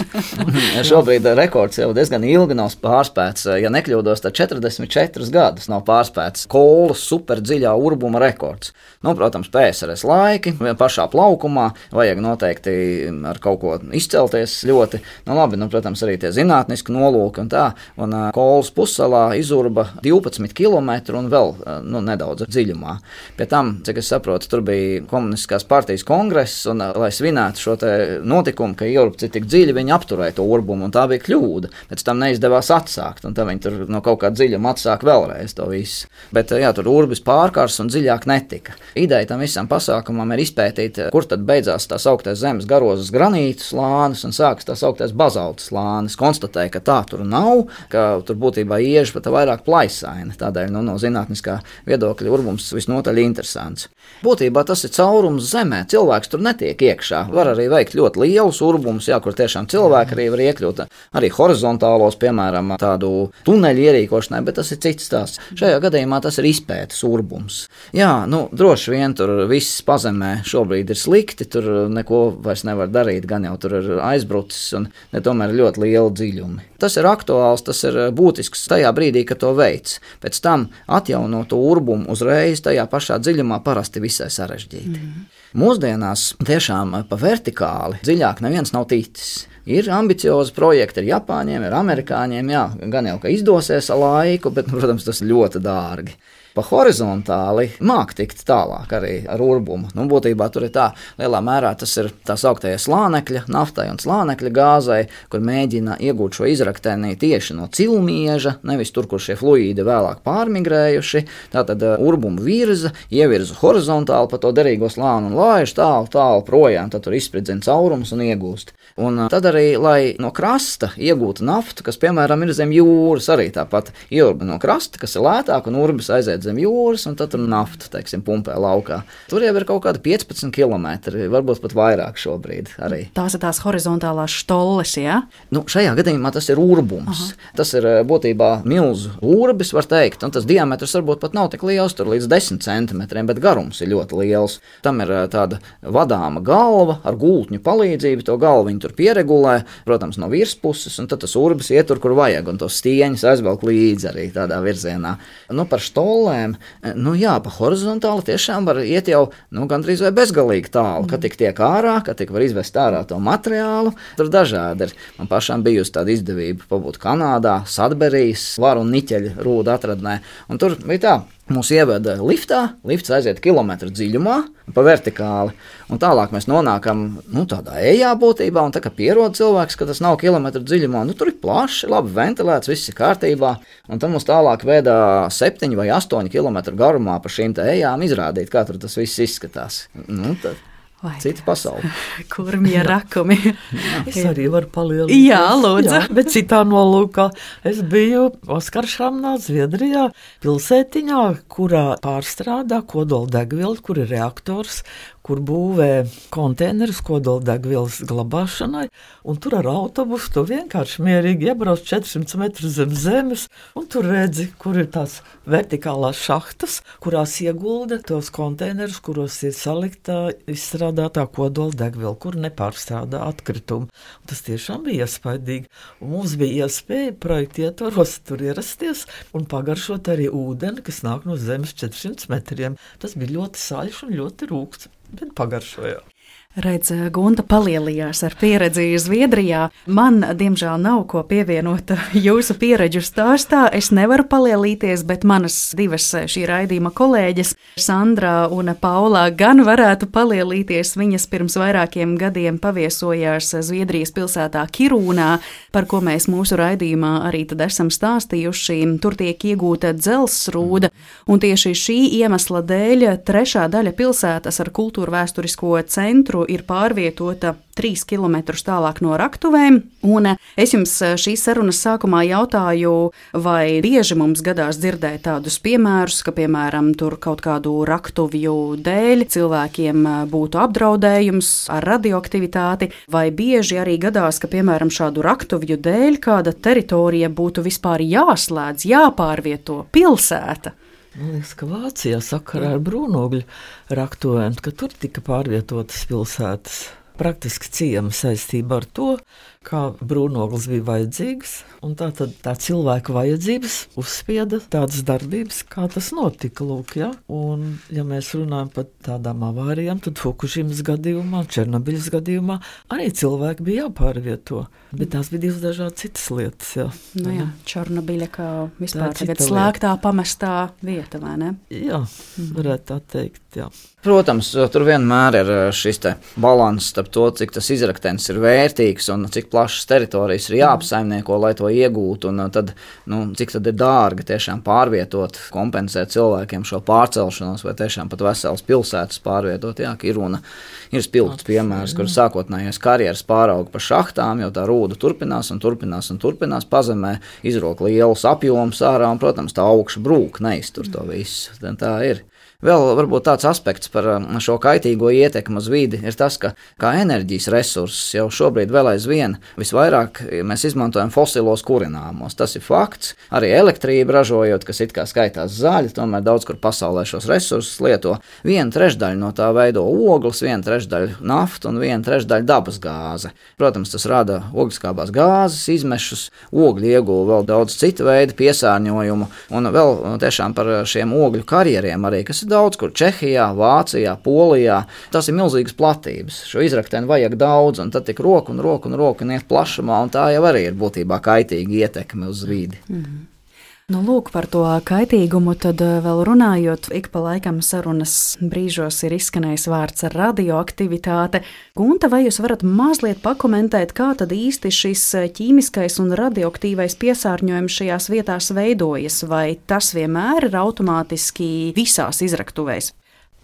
Šobrīd rekords jau diezgan ilgi nav pārspēts. Ja nekļūdos, tad četrdesmit četrus gadus nav pārspēts Kolas superdziļā urbuma rekords. Nu, protams, P S R S laiki, pašā plaukumā, vajag noteikti ar kaut ko izcelties ļoti. Nu, labi, nu, protams, arī tie zinātniski nolūki un tā. Un Kolas pussalā izurba divpadsmit kilometru un vēl nu, nedaudz dziļumā. Pie tam, cik es saprotu, tur bija komunistiskās partijas kongress, un, lai svinētu šo te notikumu, ka ieurpci tik dziļi, viņi apturēja to urbumu, un tā bija kļūda. Pēc tam neizdevās atsākt, un tā viņi tur no kaut kā dziļuma atsāk vēlreiz to visu. Bet jā, tur urbis pārkārs un dziļāk netika. Ideja tam visam pasākumam ir izpētīt, kur tad beidzās tās augtais zemes garozas granītu slānis un sākas tās augtais bazalta slānis. Konstatēja, ka tā tur nav, ka tur būtībā ieži pat vairāk plaisaina. Tādēļ nu, no zinātniskā viedokļa urbums visnotaļ interesants. Būtībā tas ir caurums zemē, cilvēks tur netiek iekšā. Var arī veikt ļoti lielus urbums, jā, kur tiešām cilvēki arī var iekļūt arī horizontālos, piemēram, tādu tuneļu ierīkošanai, bet tas ir cits stāsts. Šajā gadījumā tas ir izpētes urbums. Jā, nu, droši vien tur viss pazemē šobrīd ir slikti, tur neko vairs nevar darīt, gan jau tur ir aizbrucis un ne tomēr ļoti liela dziļumi. Tas ir aktuāls, tas ir būtisks tajā brīdī, kad to veids. Pēc tam atjaunot to urbumu uzreiz tajā pašā dziļumā parasti visai sarežģīti. Mm. Mūsdienās tiešām pa vertikāli dziļāk neviens nav ticis. Ir ambiciozi projekti ar Japāņiem, ar amerikāņiem, jā, gan jau, ka izdosies ar laiku, bet, protams, tas ļoti dārgi. Pa horizontāli māk tikt tālāk arī ar urbumu. Nu, būtībā tur ir tā, lielā mērā tas ir tā sauktajā slānekļa, naftai un slānekļa gāzei, kur mēģina iegūt šo izrakteni tieši no cilmieža, nevis tur, kur šie fluīdi vēlāk pārmigrējuši. Tātad urbumu virza, ievirza horizontāli pa to derīgo slānu un laiž tālu, tālu projām, tad tur izspridzina caurums un iegūst. Un tad arī, lai no krasta iegūtu naftu, kas, piemēram, ir zem jūras, arī tāpat ieurba no krasta, kas ir lētāk, un urbis aiziet zem jūras, un tad tur naftu, teiksim, pumpē laukā. Tur jau ir kaut kādi piecpadsmit kilometri, varbūt pat vairāk šobrīd arī. Tās ir tās horizontālās štolles, jā? Nu, šajā gadījumā tas ir urbums. Aha. Tas ir būtībā milzu urbis, var teikt, un tas diametrs varbūt pat nav tik liels, tur līdz desmit centimetriem, bet garums ir ļoti liels. Tam ir tāda vadāma galva ar gultņu palīdzību, to galvu viņi tur pieregulē, protams, no virspuses, un tad tas urbis iet tur, kur vajag, un tos stieņus aizvelk līdzi arī tādā virzienā. Nu, par štolēm, nu jā, pa horizontāli tiešām var iet jau, nu, gandrīz vai bezgalīgi tālu, ka tik tiek ārā, ka tik var izvest ārā to materiālu, tur dažādi ir. Man pašām bijusi tāda izdevība pabūt Kanādā, Sadberijas, varu un niķeļa rūdu atradnē, un tur bija tā. Mūs ieveda liftā, lifts aiziet kilometru dziļumā, pa vertikāli, un tālāk mēs nonākam, nu, tādā ejā būtībā, un tā kā pierod cilvēks, ka tas nav kilometru dziļumā, nu, tur ir plaši, labi ventilēts, viss ir kārtībā, un tad mums tālāk veidā septiņi vai astoņi kilometru garumā pa šīm te ejām izrādīt, kā tur tas viss izskatās. Nu, tad Vai cita pasaule. Kurmie rakumi. Es arī varu palielināt. Jā, lūdzu. Jā, bet citā nolūkā. Es biju Oskaršamnā, Zviedrijā, pilsētiņā, kurā pārstrādā kodoldegvielu, kur ir reaktors, kur būvē konteinerus kodoldegvielas glabāšanai, un tur ar autobusu tu vienkārši mierīgi iebrauc četrsimt metrus zem zemes, un tur redzi, kur ir tās vertikālās šahtas, kurās iegulda tos konteinerus, kuros ir salikta izstrādātā kodoldegviela, kur nepārstrādā atkritumu. Un tas tiešām bija iespaidīgi, un mums bija iespēja projekta ietvaros tur ierasties un pagaršot arī ūdeni, kas nāk no zemes četrsimt metriem. Tas bija ļoti saļš un ļoti rūgts. Bet pagaršoja. Redz, Gunta palielījās ar pieredzi Zviedrijā. Man, diemžēl, nav ko pievienot jūsu pieredžu stāstā. Es nevaru palielīties, bet manas divas šī raidījuma kolēģes, Sandra un Paula, gan varētu palielīties. Viņas pirms vairākiem gadiem paviesojās Zviedrijas pilsētā Kirūnā, par ko mēs mūsu raidījumā arī tad esam stāstījuši. Tur tiek iegūta dzelzsrūda, un tieši šī iemesla dēļ trešā daļa pilsētas ar kultūra vēsturisko centru ir pārvietota trīs kilometrus tālāk no raktuvēm, un es jums šīs sarunas sākumā jautāju, vai bieži mums gadās dzirdēt tādus piemērus, ka, piemēram, tur kaut kādu raktuvju dēļ cilvēkiem būtu apdraudējums ar radioaktivitāti, vai bieži arī gadās, ka, piemēram, šādu raktuvju dēļ kāda teritorija būtu vispār jāslēdz, jāpārvieto pilsēta. Man liekas, ka Vācijā sakarā ar brūnogļu raktuvēm, ka tur tika pārvietotas pilsētas. praktiski ciema saistība ar to, kā brūnoglis bija vajadzīgs, un tā tad tā cilvēka vajadzības uzspieda tādas darbības, kā tas notika, lūk, ja? Un, ja mēs runājam par tādām avārijām, tad Fukušimas gadījumā, Černobiļas gadījumā arī cilvēki bija jāpārvieto, bet tās bija divas dažādas citas lietas, jā. Nu jā, Černobiļa kā vispār tagad slēgtā, pamestā vieta, vai ne? Jā, varētu tā teikt, jā. Protams, tur vienmēr ir šis te balans starp to, cik tas izraktenis ir vērtīgs un cik plašas teritorijas ir jāapsaimnieko, lai to iegūtu, un tad, nu, cik tad ir dārgi tiešām pārvietot, kompensēt cilvēkiem šo pārcelšanos, vai tiešām pat veselas pilsētas pārvietot. Jā, Kiruna ir spilgts piemērs, kur sākotnējais karjeras pārauga pa šahtām, jo tā rūda turpinās un turpinās un turpinās pazemē, izrok lielus apjomus ārā, un, protams, tā augša brūk neiztur to visu. Tā ir. Vēl varbūt tāds aspekts par šo kaitīgo ietekmi uz vidi ir tas, ka kā enerģijas resursus jau šobrīd vēl aizvien visvairāk mēs izmantojam fosilos kurināmos. Tas ir fakts. Arī elektrība ražojot, kas it kā skaitās zaļi, tomēr daudz kur pasaulē šos resursus lieto. Viena trešdaļa no tā veido ogles, viena trešdaļa nafta un viena trešdaļa dabas gāze. Protams, tas rada ogliskābās gāzes izmešus, ogļu ieguva vēl daudz citu veidu piesārņojumu, un vēl tiešām par šiem ogļu karjeriem arī, kas daudz kur Čehijā, Vācijā, Polijā. Tas ir milzīgas platības. Šo izrakteni vajag daudz, un tad tik roku un roku un roku un iet plašumā, un tā jau arī ir būtībā kaitīga ietekme uz vidi. Mm-hmm. Nu, lūk, par to kaitīgumu tad vēl runājot, ik pa laikam sarunas brīžos ir izskanējis vārds radioaktivitāte. Gunta, vai jūs varat mazliet pakomentēt, kā tad īsti šis ķīmiskais un radioaktīvais piesārņojums šajās vietās veidojas, vai tas vienmēr ir automātiski visās izraktuvēs?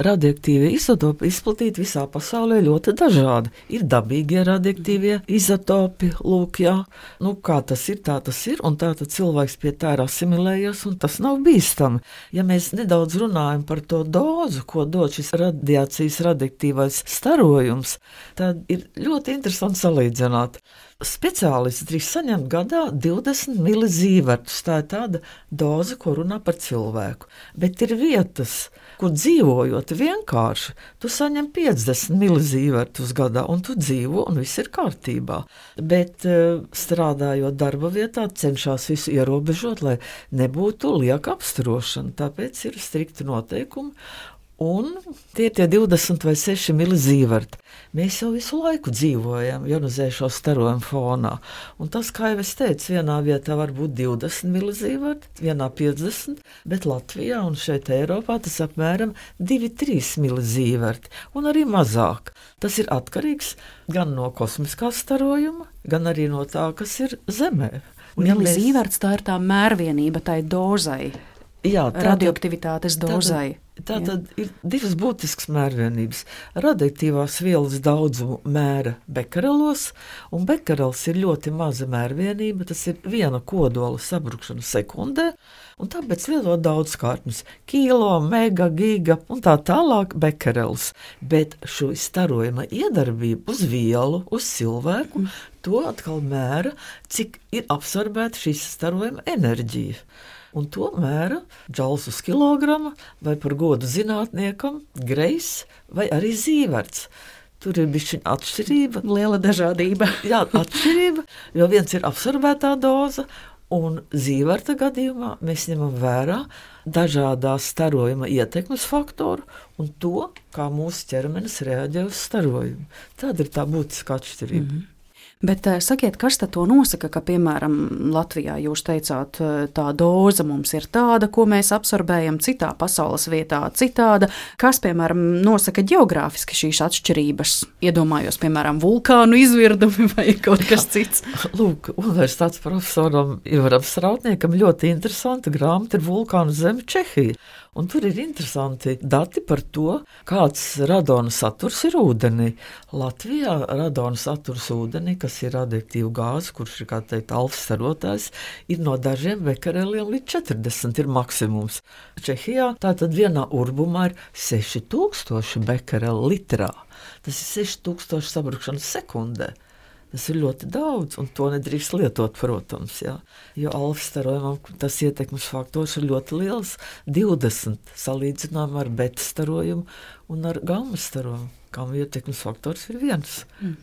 Radioaktīvie izotopi izplatīti visā pasaulē ļoti dažādi. Ir dabīgie radioaktīvie izotopi, lūk, jā. Nu, kā tas ir, tā tas ir, un tā tad cilvēks pie tā ir asimilējies, un tas nav bīstami. Ja mēs nedaudz runājam par to dozu, ko dod šis radiācijas radioaktīvais starojums, tad ir ļoti interesanti salīdzināt. Speciālisti drīkst saņemt gadā divdesmit milizīvertus. Tā ir tāda doze, ko runā par cilvēku. Bet ir vietas, kur dzīvojot vienkārši, tu saņem piecdesmit milizīvertus gadā, un tu dzīvo, un viss ir kārtībā. Bet strādājot darba vietā, cenšas visu ierobežot, lai nebūtu lieka apstarošana. Tāpēc ir strikti noteikumi. Un tie ir tie divdesmit vai seši milizīverti. Mēs jau visu laiku dzīvojam ionizējošo starojumu fonā. Un tas, kā jau es teicu, vienā vietā var būt divdesmit milizīverti, vienā piecdesmit, bet Latvijā un šeit Eiropā tas apmēram divi līdz trīs milizīverti, un arī mazāk. Tas ir atkarīgs gan no kosmiskā starojuma, gan arī no tā, kas ir Zemē. Milizīverts tā ir tā mērvienība tai dozai, jā, tā radioaktivitātes dozai. Tā tad ir divas būtiskas mērvienības. Radioaktīvās vielas daudzumu mēra bekarelos, un bekarels ir ļoti maza mērvienība, tas ir viena kodola sabrukšana sekundē, un tāpēc lietot daudzkārtnes – kilo, mega, giga un tā tālāk bekarels. Bet šo starojuma iedarbību uz vielu, uz cilvēku, to atkal mēra, cik ir absorbēta šīs starojuma enerģija. Un to mēra džauls uz kilograma, vai par godu zinātniekam, grejs vai arī zīverts. Tur ir bišķiņa atšķirība. Liela dažādība. Jā, atšķirība, jo viens ir absorbētā doza, un zīverta gadījumā mēs ņemam vērā dažādās starojuma ietekmes faktoru un to, kā mūsu ķermenis reaģē uz starojumu. Tāda ir tā būtiska atšķirība. Mm-hmm. Bet sakiet, kas tad to nosaka, ka, piemēram, Latvijā jūs teicāt, tā doza mums ir tāda, ko mēs absorbējam, citā pasaules vietā citāda. Kas, piemēram, nosaka ģeogrāfiski šīs atšķirības? Iedomājos, piemēram, vulkānu izvirdumi vai kaut kas cits. Lūk, universitātes profesoram Ivaram Strautniekam ļoti interesanta grāmata ir Vulkānu zeme Čehija. Un tur ir interesanti dati par to, kāds radona saturs ir ūdenī. Latvijā radona saturs ūdenī, kas ir radioaktīva gāze, kurš ir, kā teikt, alfstarotājs, ir no dažiem bekareliem līdz četrdesmit ir maksimums. Čehijā tātad vienā urbumā ir seši tūkstoši bekareli litrā. Tas ir seši tūkstoši sabrukšanas sekundē. Tas ir ļoti daudz, un to nedrīkst lietot, protams, jā. Jo alfa-starojumam tas ietekmes faktors ir ļoti liels, divdesmit salīdzinājumā ar beta-starojumu un ar gamma-starojumu. kam ietekmes faktors ir viens. Mm.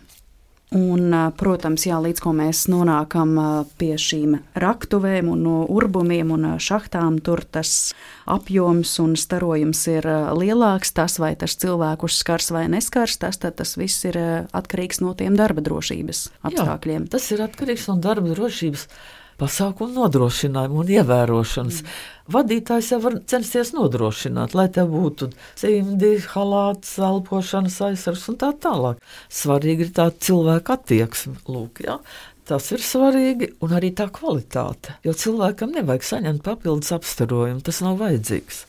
Un, protams, jā, līdz ko mēs nonākam pie šīm raktuvēm un urbumiem un šahtām, tur tas apjoms un starojums ir lielāks. Tas, vai tas cilvēkus skars vai neskars, tas, tas viss ir atkarīgs no tiem darba drošības apstākļiem. Jā, tas ir atkarīgs no darba drošības pasākumu nodrošinājumu un ievērošanas. Mm. Vadītājs jau var censties nodrošināt, lai tev būtu cimdi, halāts, elpošanas aizsargs un tā tālāk. Svarīgi ir tā cilvēka attieksme, lūk, jā. Tas ir svarīgi un arī tā kvalitāte, jo cilvēkam nevajag saņemt papildus apstarojumu, tas nav vajadzīgs.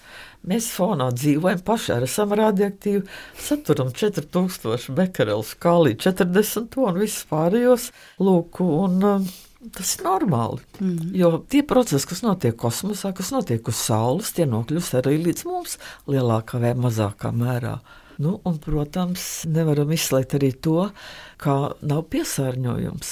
Mēs fonā dzīvojam paši, esam radioaktīvi, saturam četri tūkstoši bekerelus, kālī četrdesmit un viss pārējos, lūk, un tas ir normāli, mm. jo tie procesi, kas notiek kosmosā, kas notiek uz Saules, tie nokļūst arī līdz mums lielākā vai mazākā mērā. Nu, un, protams, nevaram izslēgt arī to, kā nav piesārņojums.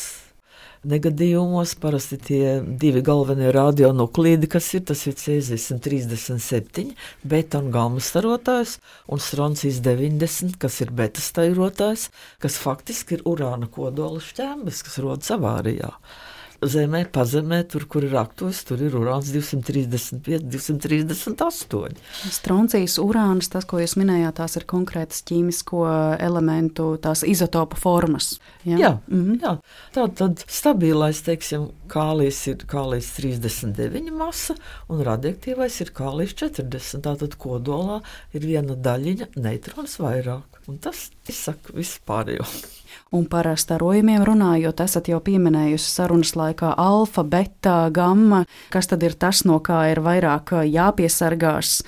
Negadījumos parasti tie divi galvenie radionuklīdi, kas ir, tas ir cēzijas trīsdesmit septiņi, beta un gamma starotājs, un stroncijs deviņdesmit, kas ir beta starotājs, kas faktiski ir urāna kodola šķēmbes, kas rodas avārijā. Zemē, pazemē, tur, kur ir aktuves, tur ir urāns divsimt trīsdesmit pieci, divsimt trīsdesmit astoņi. Stroncijas, urāns, tas, ko jūs minējāt, tās ir konkrētas ķīmisko elementu, tās izotopa formas. Ja? Jā, mm-hmm. jā, tā tad stabilais, teiksim, kālijs ir kālijs trīsdesmit deviņi masa, un radioaktīvais ir kālijs četrdesmit, tātad kodolā ir viena daļiņa neitrons vairāk, un tas izsaka visu pārējo. Un par starojumiem runājot, esat jau pieminējusi sarunas laikā alfa, beta, gamma. Kas tad ir tas, no kā ir vairāk jāpiesargās?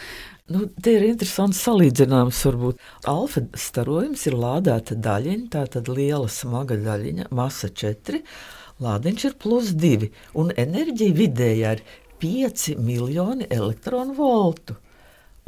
Nu, te ir interesants salīdzinājums varbūt. Alfa starojums ir lādēta daļiņa, tā tad liela smaga daļiņa, masa četri, lādiņš ir plus divi, un enerģija vidējā ir pieci miljoni elektronu voltu.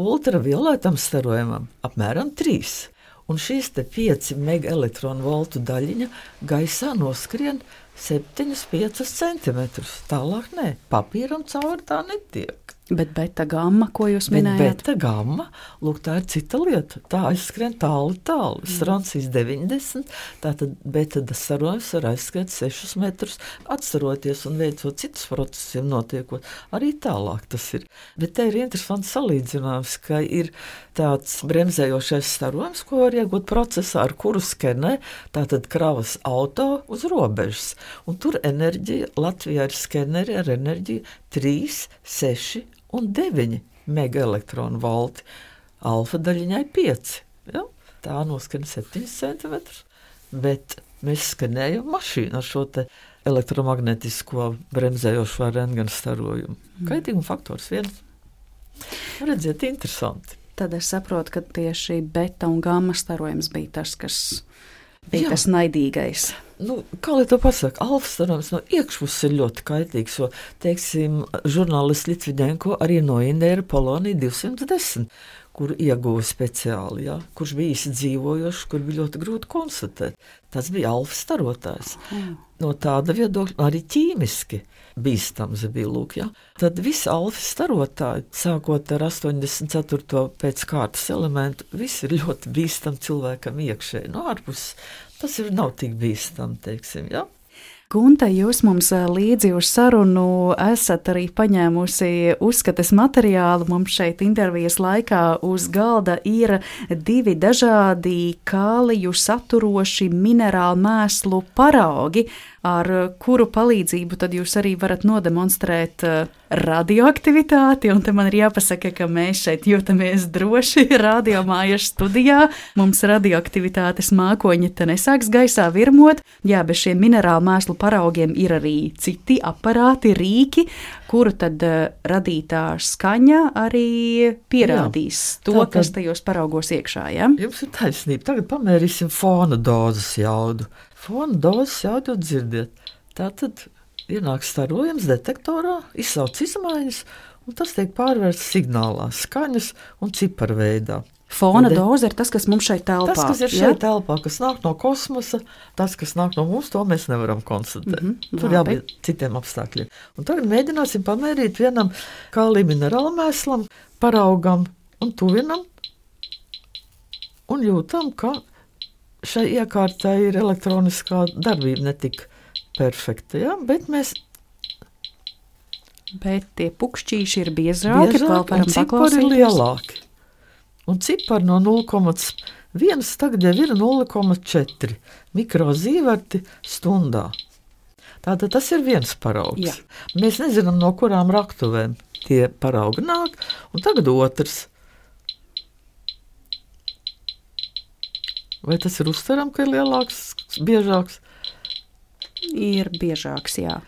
Ultravioletam starojumam apmēram trīs. Un šīs te pieci megaelektronu voltu daļiņa gaisā noskrien septiņi pieci centimetrus. Tālāk nē, papīram cauri tā netiek. Bet beta gamma, ko jūs minējāt? Bet beta gamma, lūk, tā ir cita lieta. Tā aizskrien tāli, tāli. Stroncijas deviņdesmit, tātad beta starojums var aizskriet sešus metrus, atstaroties un veicot citus procesiem notiekot. Arī tālāk tas ir. Bet te ir interesants salīdzinājums, ka ir tāds bremzējošais starojums, ko var iegūt procesā, ar kuru skenē, tātad kravas auto uz robežas. Un tur enerģija, Latvijā ir skeneri ar enerģiju trīs, seši un deviņi megaelektronu volti. Alfa daļiņai pieci. Ja? Tā noskan septiņi centimetrus, bet mēs skanējam mašīnu ar šo te elektromagnetisko bremzējošo rentgena starojumu. Mm. Kaitīguma faktors viens. Redziet, interesanti. Tad es saprotu, ka tieši beta un gamma starojums bija tas, kas bija Jā. tas naidīgais. Nu, kā lai to pasaka, alfa starojums no iekšpuses ir ļoti kaitīgs, jo, teiksim, žurnālists Litviņenko arī noindēra poloniju divsimt desmit, kuru ieguva speciāli, ja, kurš bija īsi dzīvojošs, kur bija ļoti grūti konstatēt. Tas bija alfa starotājs. Mm. No tāda viedokļa arī ķīmiski bīstams bija, lūk, ja. Tad visi alfa starotāji, sākot ar astoņdesmit ceturto pēc kārtas elementu, visi ir ļoti bīstami cilvēkam iekšēji. No ārpuses tas ir nav tik bīstami, teiksim, ja. Gunta, jūs mums līdzi uz sarunu esat arī paņēmusi uzskates materiālu. Mums šeit intervijas laikā uz galda ir divi dažādi kāliju saturoši minerālu mēslu paraugi, ar kuru palīdzību tad jūs arī varat nodemonstrēt radioaktivitāti. Un te man ir jāpasaka, ka mēs šeit jūtamies droši radiomājas studijā. Mums radioaktivitātes mākoņi te nesāks gaisā virmot. Jā, bez šiem minerālu mēslu paraugiem ir arī citi aparāti, rīki, kuru tad radītā skaņa arī pierādīs Jā, to, kas tajos paraugos iekšā. Ja? Jums ir taisnība. Tagad pamērīsim fona dozes jaudu. Fona dozes jaudu dzirdiet. Tātad ienāk starojums detektorā, izsauc izmaiņas, un tas tiek pārvērsts signālā, skaņas un ciparu veidā. Fona de... doze ir tas, kas mums šeit telpā. Tas, kas ir šeit ja? telpā, kas nāk no kosmosa, tas, kas nāk no mums, to mēs nevaram konstatēt. Mm-hmm, Tur jābūt citiem apstākļiem. Un tagad mēģināsim pamērīt vienam kālija minerāla mēslam, paraugam un tuvinam un jūtam, ka šai iekārtai ir elektroniskā darbība ne tik perfekta, ja? Bet mēs. Bet tie pukšķīši ir biezāki, Biežāk, un cipari ir lielāki. Un cipari no nulle komats viens tagad jau ir nulle komats četri mikrozīverti stundā. Tātad tas ir viens paraugs. Jā. Mēs nezinām, no kurām raktuvēm tie paraugi nāk, un tagad otrs. Vai tas ir uztveram, ka ir lielāks, biežāks? Ir biežāks, jā.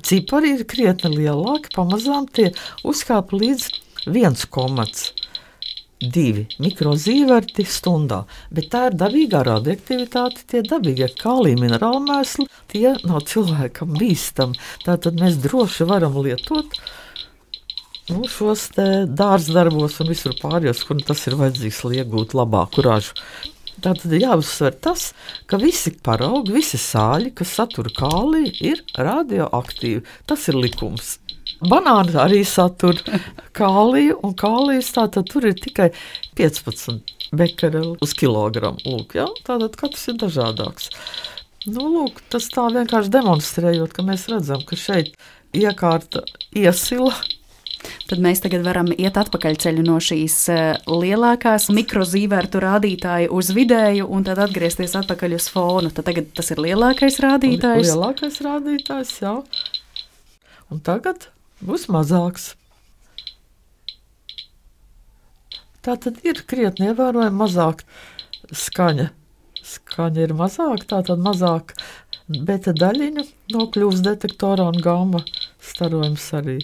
Cipari ir krietni lielāki, pamazām tie uzkāp līdz viens komats divi mikrozīverti stundā. Bet tā ir dabīgā radioaktivitāte, tie dabīgie kālija minerāli mēsli, tie nav cilvēkam bīstami. Tātad mēs droši varam lietot nu, šos te dārzdarbos un visur pārējos, kur tas ir vajadzīgs, lai iegūtu labāku ražu. Tātad jāuzsver tas, ka visi paraugi, visi sāļi, kas satura kāliju, ir radioaktīvi. Tas ir likums. Banāni arī satur kāliju, un kālijas tātad tur ir tikai piecpadsmit bekereli uz kilogramu. Lūk, ja? Tātad katrs ir dažādāks. Nu, lūk, tas tā vienkārši demonstrējot, ka mēs redzam, ka šeit iekārta iesila. Tad mēs tagad varam iet atpakaļ ceļu no šīs lielākās mikrozīvertu rādītāja uz vidēju un tad atgriezties atpakaļ uz fonu. Tad tagad tas ir lielākais rādītājs. Lielākais rādītājs, jā. Un tagad būs mazāks. Tā tad ir krietni ievērojami mazāk skaņa. Skaņa ir mazāk, tā tad mazāk beta daļiņu nokļūst detektorā un gamma starojums arī.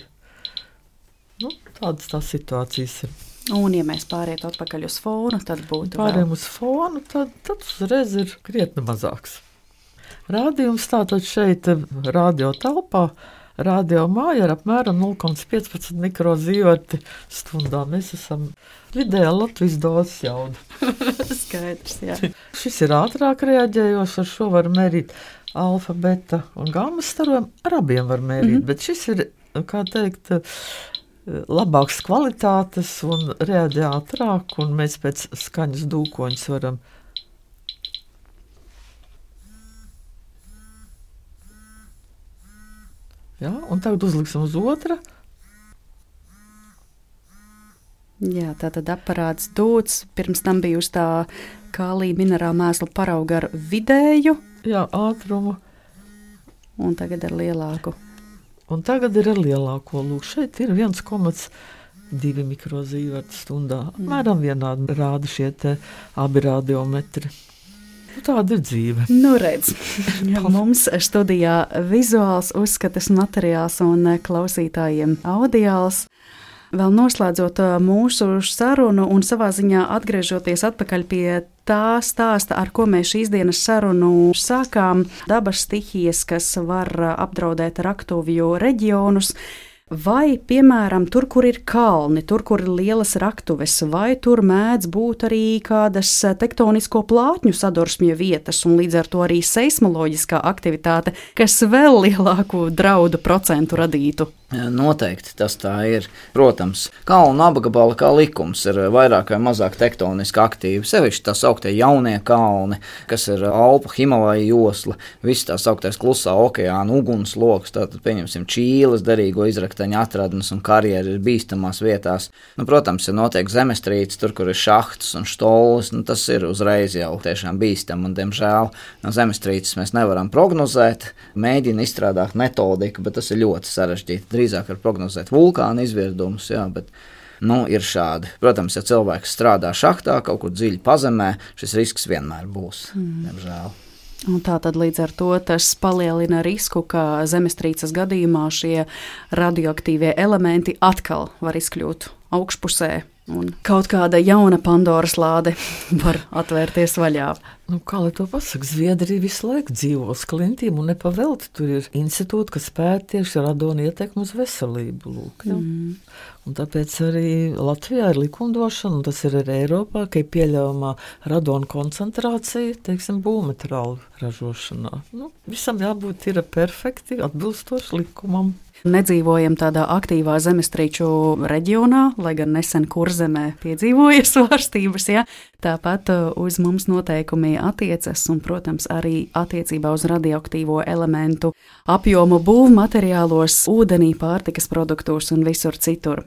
Nu, tādas tās situācijas ir. Un, ja mēs pāriet atpakaļ uz fonu, tad būtu Pāriem vēl... uz fonu, tad, tad uzreiz ir krietni mazāks. Rādījums tātad šeit radio telpā, radio māja ir apmēram nulle komats piecpadsmit mikrozīverti stundā. Mēs esam vidējā Latvijas dozes jauda. Skaidrs, jā. Šis ir ātrāk reaģējošs, ar šo var mērīt alfa, beta un gamma starojumu. Ar abiem var mērīt, mm-hmm. bet šis ir, kā teikt, labāks kvalitātes un reaģē ātrāk, un mēs pēc skaņas dūkoņus varam. Jā, un tagad uzliksim uz otra. Jā, tātad aparāts dūts, pirms tam bija uz tā kālija minerāla mēsla parauga ar vidēju. Jā, ātrumu. Un tagad ar lielāku. Un tagad ir ar lielāko. Lūk, šeit ir viens komats divi mikrozīverti stundā. Apmēram vienādi rāda šie te abi radiometri. Tāda ir dzīve. Nu redz, mums studijā vizuāls uzskatas materiāls un klausītājiem audiāls. Vēl noslēdzot mūsu sarunu un savā ziņā atgriežoties atpakaļ pie tā stāsta, ar ko mēs šīs dienas sarunu sākām, dabas stihijas, kas var apdraudēt raktuvju reģionus, vai, piemēram, tur, kur ir kalni, tur, kur ir lielas raktuves, vai tur mēdz būt arī kādas tektonisko plātņu sadursmju vietas un līdz ar to arī seismoloģiskā aktivitāte, kas vēl lielāku draudu procentu radītu. Noteikti tas tā ir. Protams, kalnu apgabali kā likums ir vairāk vai mazāk tektoniski aktīvi. Sevišķi tā sauktie jaunie kalni, kas ir Alpu, Himalaja josla, viss tā sauktais klusā okeāna ugunsloks, tātad pieņemsim Čīles derīgo izrakteņu atradnes un karjeri ir bīstamās vietās. Nu, protams, ja notiek zemestrīces, tur, kur ir šahtas un štolis, nu, tas ir uzreiz jau tiešām bīstam un, diemžēl, no zemestrīces mēs nevaram prognozēt, mēģina izstrādāt metodiku, bet tas ir ļoti sarežģīti. Drīzāk var prognozēt vulkāna izvirdumus, jā, bet nu, ir šādi. Protams, ja cilvēks strādā šahtā, kaut kur dziļi pazemē, šis risks vienmēr būs, mm. diemžēl. Un tā tad līdz ar to tas palielina risku, ka zemestrīces gadījumā šie radioaktīvie elementi atkal var izkļūt augšpusē. Un kaut kāda jauna Pandoras lāde var atvērties vaļā. Nu, kā lai to pasaka, Zviedrija visu laiku dzīvo uz klintīm un nepavelti. Tur ir institūti, kas pēta tieši radona ietekmi uz veselību. Lūk, ja? mm. Un tāpēc arī Latvijā ir likumdošana, un tas ir arī Eiropā, ka ir pieļaujamā radona koncentrācija, teiksim, būvmateriālu ražošanā. Nu, visam jābūt ir perfekti, atbilstoši likumam. nedzīvojam tādā aktīvā zemestrīču reģionā, lai gan nesen Kurzemē piedzīvoja svārstības. Ja? Tāpat uz mums noteikumi attiecas un, protams, arī attiecībā uz radioaktīvo elementu apjomu būvmateriālos, ūdenī, pārtikas produktos un visur citur.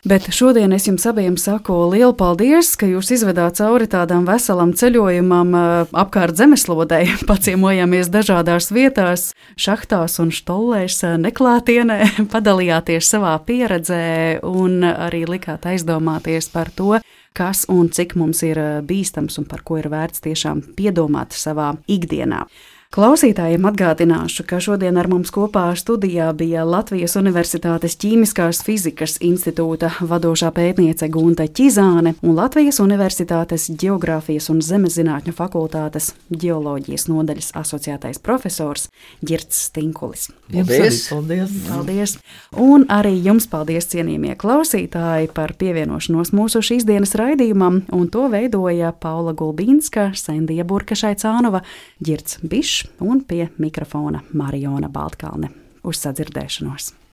Bet šodien es jums abiem saku lielu paldies, ka jūs izvedāt cauri tādām veselam ceļojumam apkārt zemeslodei, paciemojamies dažādās vietās, šahtās un štollēs, neklātienē, padalījāties savā pieredzē un arī likāt aizdomāties par to, kas un cik mums ir bīstams un par ko ir vērts tiešām piedomāt savā ikdienā. Klausītājiem atgādināšu, ka šodien ar mums kopā studijā bija Latvijas Universitātes Ķīmiskās fizikas institūta vadošā pētniece Gunta Ķizāne un Latvijas Universitātes Ģeogrāfijas un Zemeszinātņu fakultātes ģeoloģijas nodaļas asociētais profesors Ģirds Stinkulis. Paldies! Paldies! Paldies! Un arī jums paldies, cienījamie klausītāji, par pievienošanos mūsu šīs dienas raidījumam, un to veidoja Paula Gulbīnska, Sendija Burkašai-Cānova, Ģirds Bišs un pie mikrofona Mariona Baltkalne. Uz sadzirdēšanos!